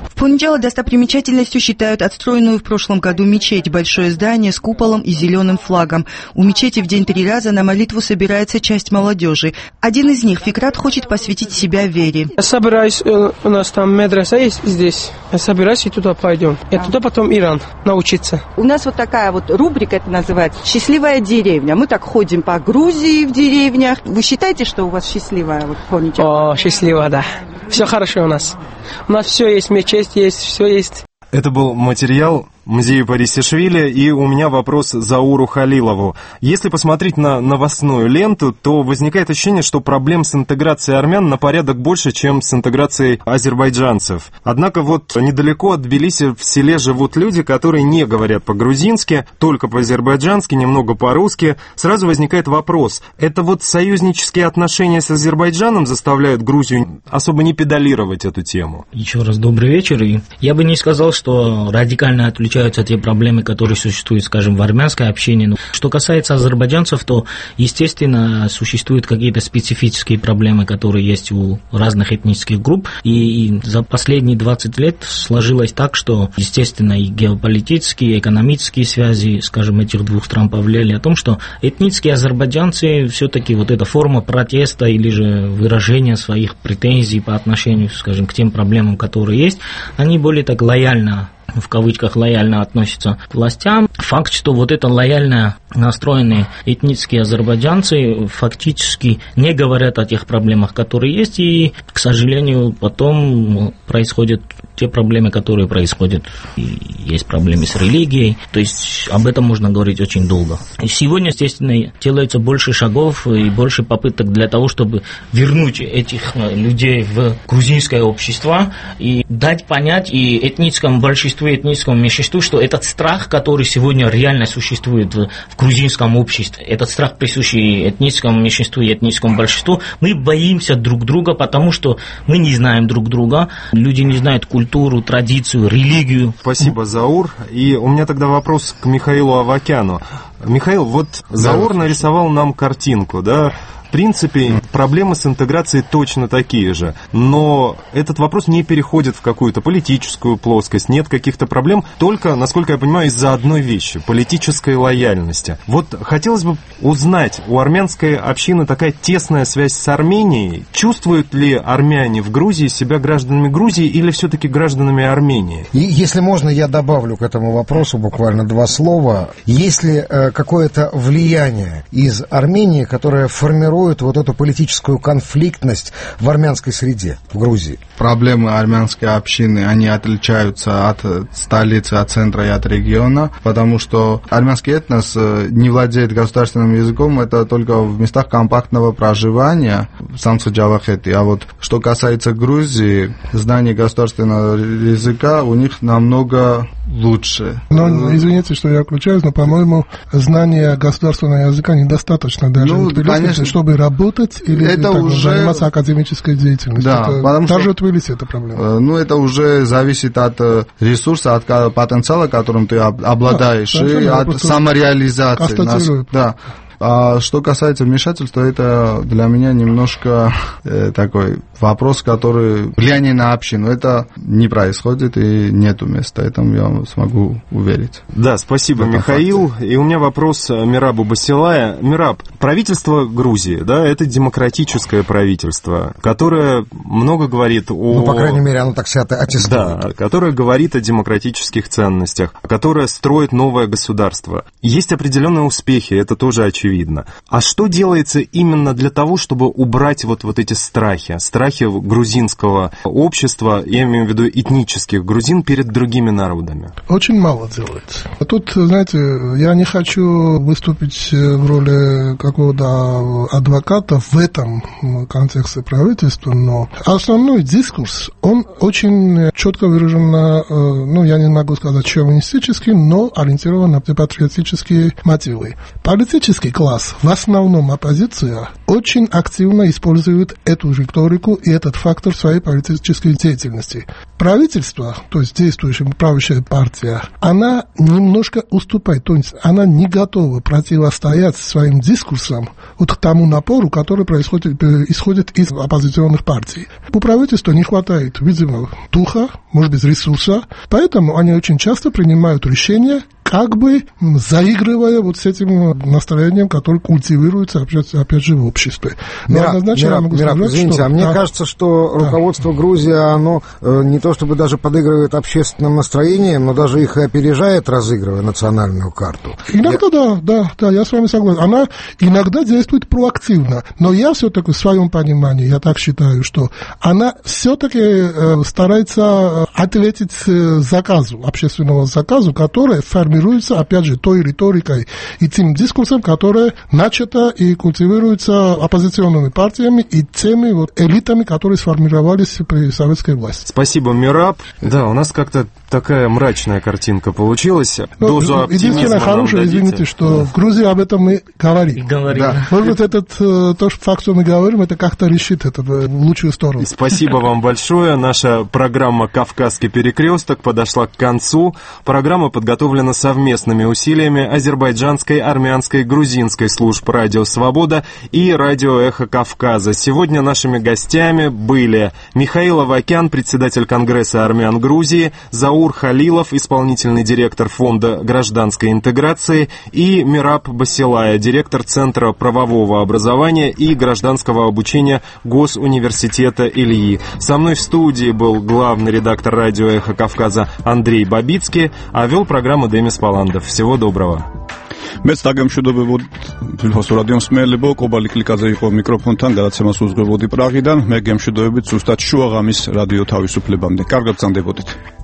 В Поничало достопримечательностью считают отстроенную в прошлом году мечеть, большое здание с куполом и зеленым флагом. У мечети в день три раза на молитву собирается часть молодежи. Один из них, Фикрат, хочет посвятить себя вере. Я собираюсь, у нас там медресе есть здесь. Я собираюсь и туда пойдем. И туда потом Иран научиться. У нас вот такая вот рубрика, это называется «Счастливая деревня». Мы так ходим по Грузии в деревнях. Вы считаете, что у вас счастливая вот Поничало? О, счастливая, да. Все хорошо у нас. У нас все есть, мечеть есть, все есть. Это был материал музея Парисишвили, и у меня вопрос Зауру Халилову. Если посмотреть на новостную ленту, то возникает ощущение, что проблем с интеграцией армян на порядок больше, чем с интеграцией азербайджанцев. Однако вот недалеко от Тбилиси в селе живут люди, которые не говорят по-грузински, только по-азербайджански, немного по-русски. Сразу возникает вопрос, это вот союзнические отношения с Азербайджаном заставляют Грузию особо не педалировать эту тему? Еще раз добрый вечер. И я бы не сказал, что радикально отличаются те проблемы, которые существуют, скажем, в армянской общине. Но что касается азербайджанцев, то, естественно, существуют какие-то специфические проблемы, которые есть у разных этнических групп. И, и за последние двадцать лет сложилось так, что, естественно, и геополитические, и экономические связи, скажем, этих двух стран повлияли о том, что этнические азербайджанцы все-таки вот эта форма протеста или же выражения своих претензий по отношению, скажем, к тем проблемам, которые есть, они более так лояльно, в кавычках, лояльно относятся к властям. Факт, что вот это лояльно настроенные этнические азербайджанцы фактически не говорят о тех проблемах, которые есть, и, к сожалению, потом происходят те проблемы, которые происходят. И есть проблемы с религией, то есть об этом можно говорить очень долго. И сегодня, естественно, делается больше шагов и больше попыток для того, чтобы вернуть этих людей в грузинское общество и дать понять и этническому большинству, и этническому меньшинству, что этот страх, который сегодня реально существует в, в грузинском обществе, этот страх, присущий этническому меньшинству и этническому большинству, мы боимся друг друга, потому что мы не знаем друг друга, люди не знают культуру, традицию, религию. Спасибо, Заур. И у меня тогда вопрос к Михаилу Авакяну. Михаил, вот Заур нарисовал нам картинку, да? В принципе, проблемы с интеграцией точно такие же, но этот вопрос не переходит в какую-то политическую плоскость, нет каких-то проблем, только, насколько я понимаю, из-за одной вещи – политической лояльности. Вот хотелось бы узнать, у армянской общины такая тесная связь с Арменией, чувствуют ли армяне в Грузии себя гражданами Грузии или все-таки гражданами Армении? И, если можно, я добавлю к этому вопросу буквально два слова. Есть ли э, какое-то влияние из Армении, которое формирует вот эту политическую конфликтность в армянской среде в Грузии? Проблемы армянской общины, они отличаются от столицы, от центра и от региона, потому что армянский этнос не владеет государственным языком, это только в местах компактного проживания, в Самсу-Джавахете. А вот что касается Грузии, знание государственного языка у них намного лучше. Но, извините, что я включаюсь, но, по-моему, знание государственного языка недостаточно даже ну, в Тбилиси, конечно, чтобы работать или это так, уже... заниматься академической деятельностью. Да, это, потому даже что... в Тбилиси это проблема. Ну, это уже зависит от ресурса, от потенциала, которым ты обладаешь, да, и от самореализации. Нас, да. А что касается вмешательства, это для меня немножко э, такой вопрос, который влияние на общину. Это не происходит и нету места, этому я смогу уверить. Да, спасибо, это Михаил. Факт. И у меня вопрос Мирабу Басилая. Мираб, правительство Грузии, да, это демократическое правительство, которое много говорит о... Ну, по крайней мере, оно так себя аттестует. Да, которое говорит о демократических ценностях, которое строит новое государство. Есть определенные успехи, это тоже очевидно. Видно. А что делается именно для того, чтобы убрать вот, вот эти страхи, страхи грузинского общества, я имею в виду этнических грузин, перед другими народами? Очень мало делается. Тут, знаете, я не хочу выступить в роли какого-то адвоката в этом контексте правительства, но основной дискурс, он очень четко выражен на, ну, я не могу сказать шовинистический, но ориентирован на патриотические мотивы. Политический класс, в основном оппозиция, очень активно использует эту же риторику и этот фактор в своей политической деятельности. Правительство, то есть действующая правящая партия, она немножко уступает, то есть она не готова противостоять своим дискурсам вот к тому напору, который происходит, исходит из оппозиционных партий. У правительства не хватает, видимо, духа, может быть, ресурса, поэтому они очень часто принимают решения, как бы заигрывая вот с этим настроением, которое культивируется, опять, опять же, в обществе. Но Мираб, однозначно Мираб, я могу Мираб, сказать, извините, что... а мне да, кажется, что да. руководство Грузии, оно э, не то чтобы даже подыгрывает общественным настроениям, но даже их и опережает, разыгрывая национальную карту. Иногда, я... да, да, да, я с вами согласен. Она иногда действует проактивно, но я все-таки в своем понимании, я так считаю, что она все-таки э, старается ответить э, заказу, общественного заказу, который формируется, опять же, той риторикой и тем дискурсом, который начато и культивируется оппозиционными партиями и теми вот элитами, которые сформировались при советской власти. Спасибо, Мираб. Да, у нас как-то такая мрачная картинка получилась. Ну, Дозу оптимизма единственное хорошее, извините, что да. в Грузии об этом мы говорим. говорим. Да. Может быть, этот, то факт, что мы говорим, это как-то решит это в лучшую сторону. Спасибо вам большое. Наша программа «Кавказский перекресток» подошла к концу. Программа подготовлена совместными усилиями азербайджанской, армянской, грузинской служб «Радио Свобода» и «Радио Эхо Кавказа». Сегодня нашими гостями были Михаил Авакян, председатель Конгресса армян Грузии, Заур Халилов, исполнительный директор Фонда гражданской интеграции, и Мираб Басилая, директор Центра правового образования и гражданского обучения Госуниверситета Ильи. Со мной в студии был главный редактор радио «Эхо Кавказа» Андрей Бабицкий, а вел программу Демис Паландов. Всего доброго. მეც დაგემშვიდობებოდ ფილოს რადიო მსმენელებო, კობალი კლიკაზე იყო მიკროფონთან, გადაცემას უძღვებოდი პრაღიდან. მე გემშვიდობებით ზუსტად შუაღამის რადიო თავისუფლებამდე. კარგად გრძანდებოდეთ.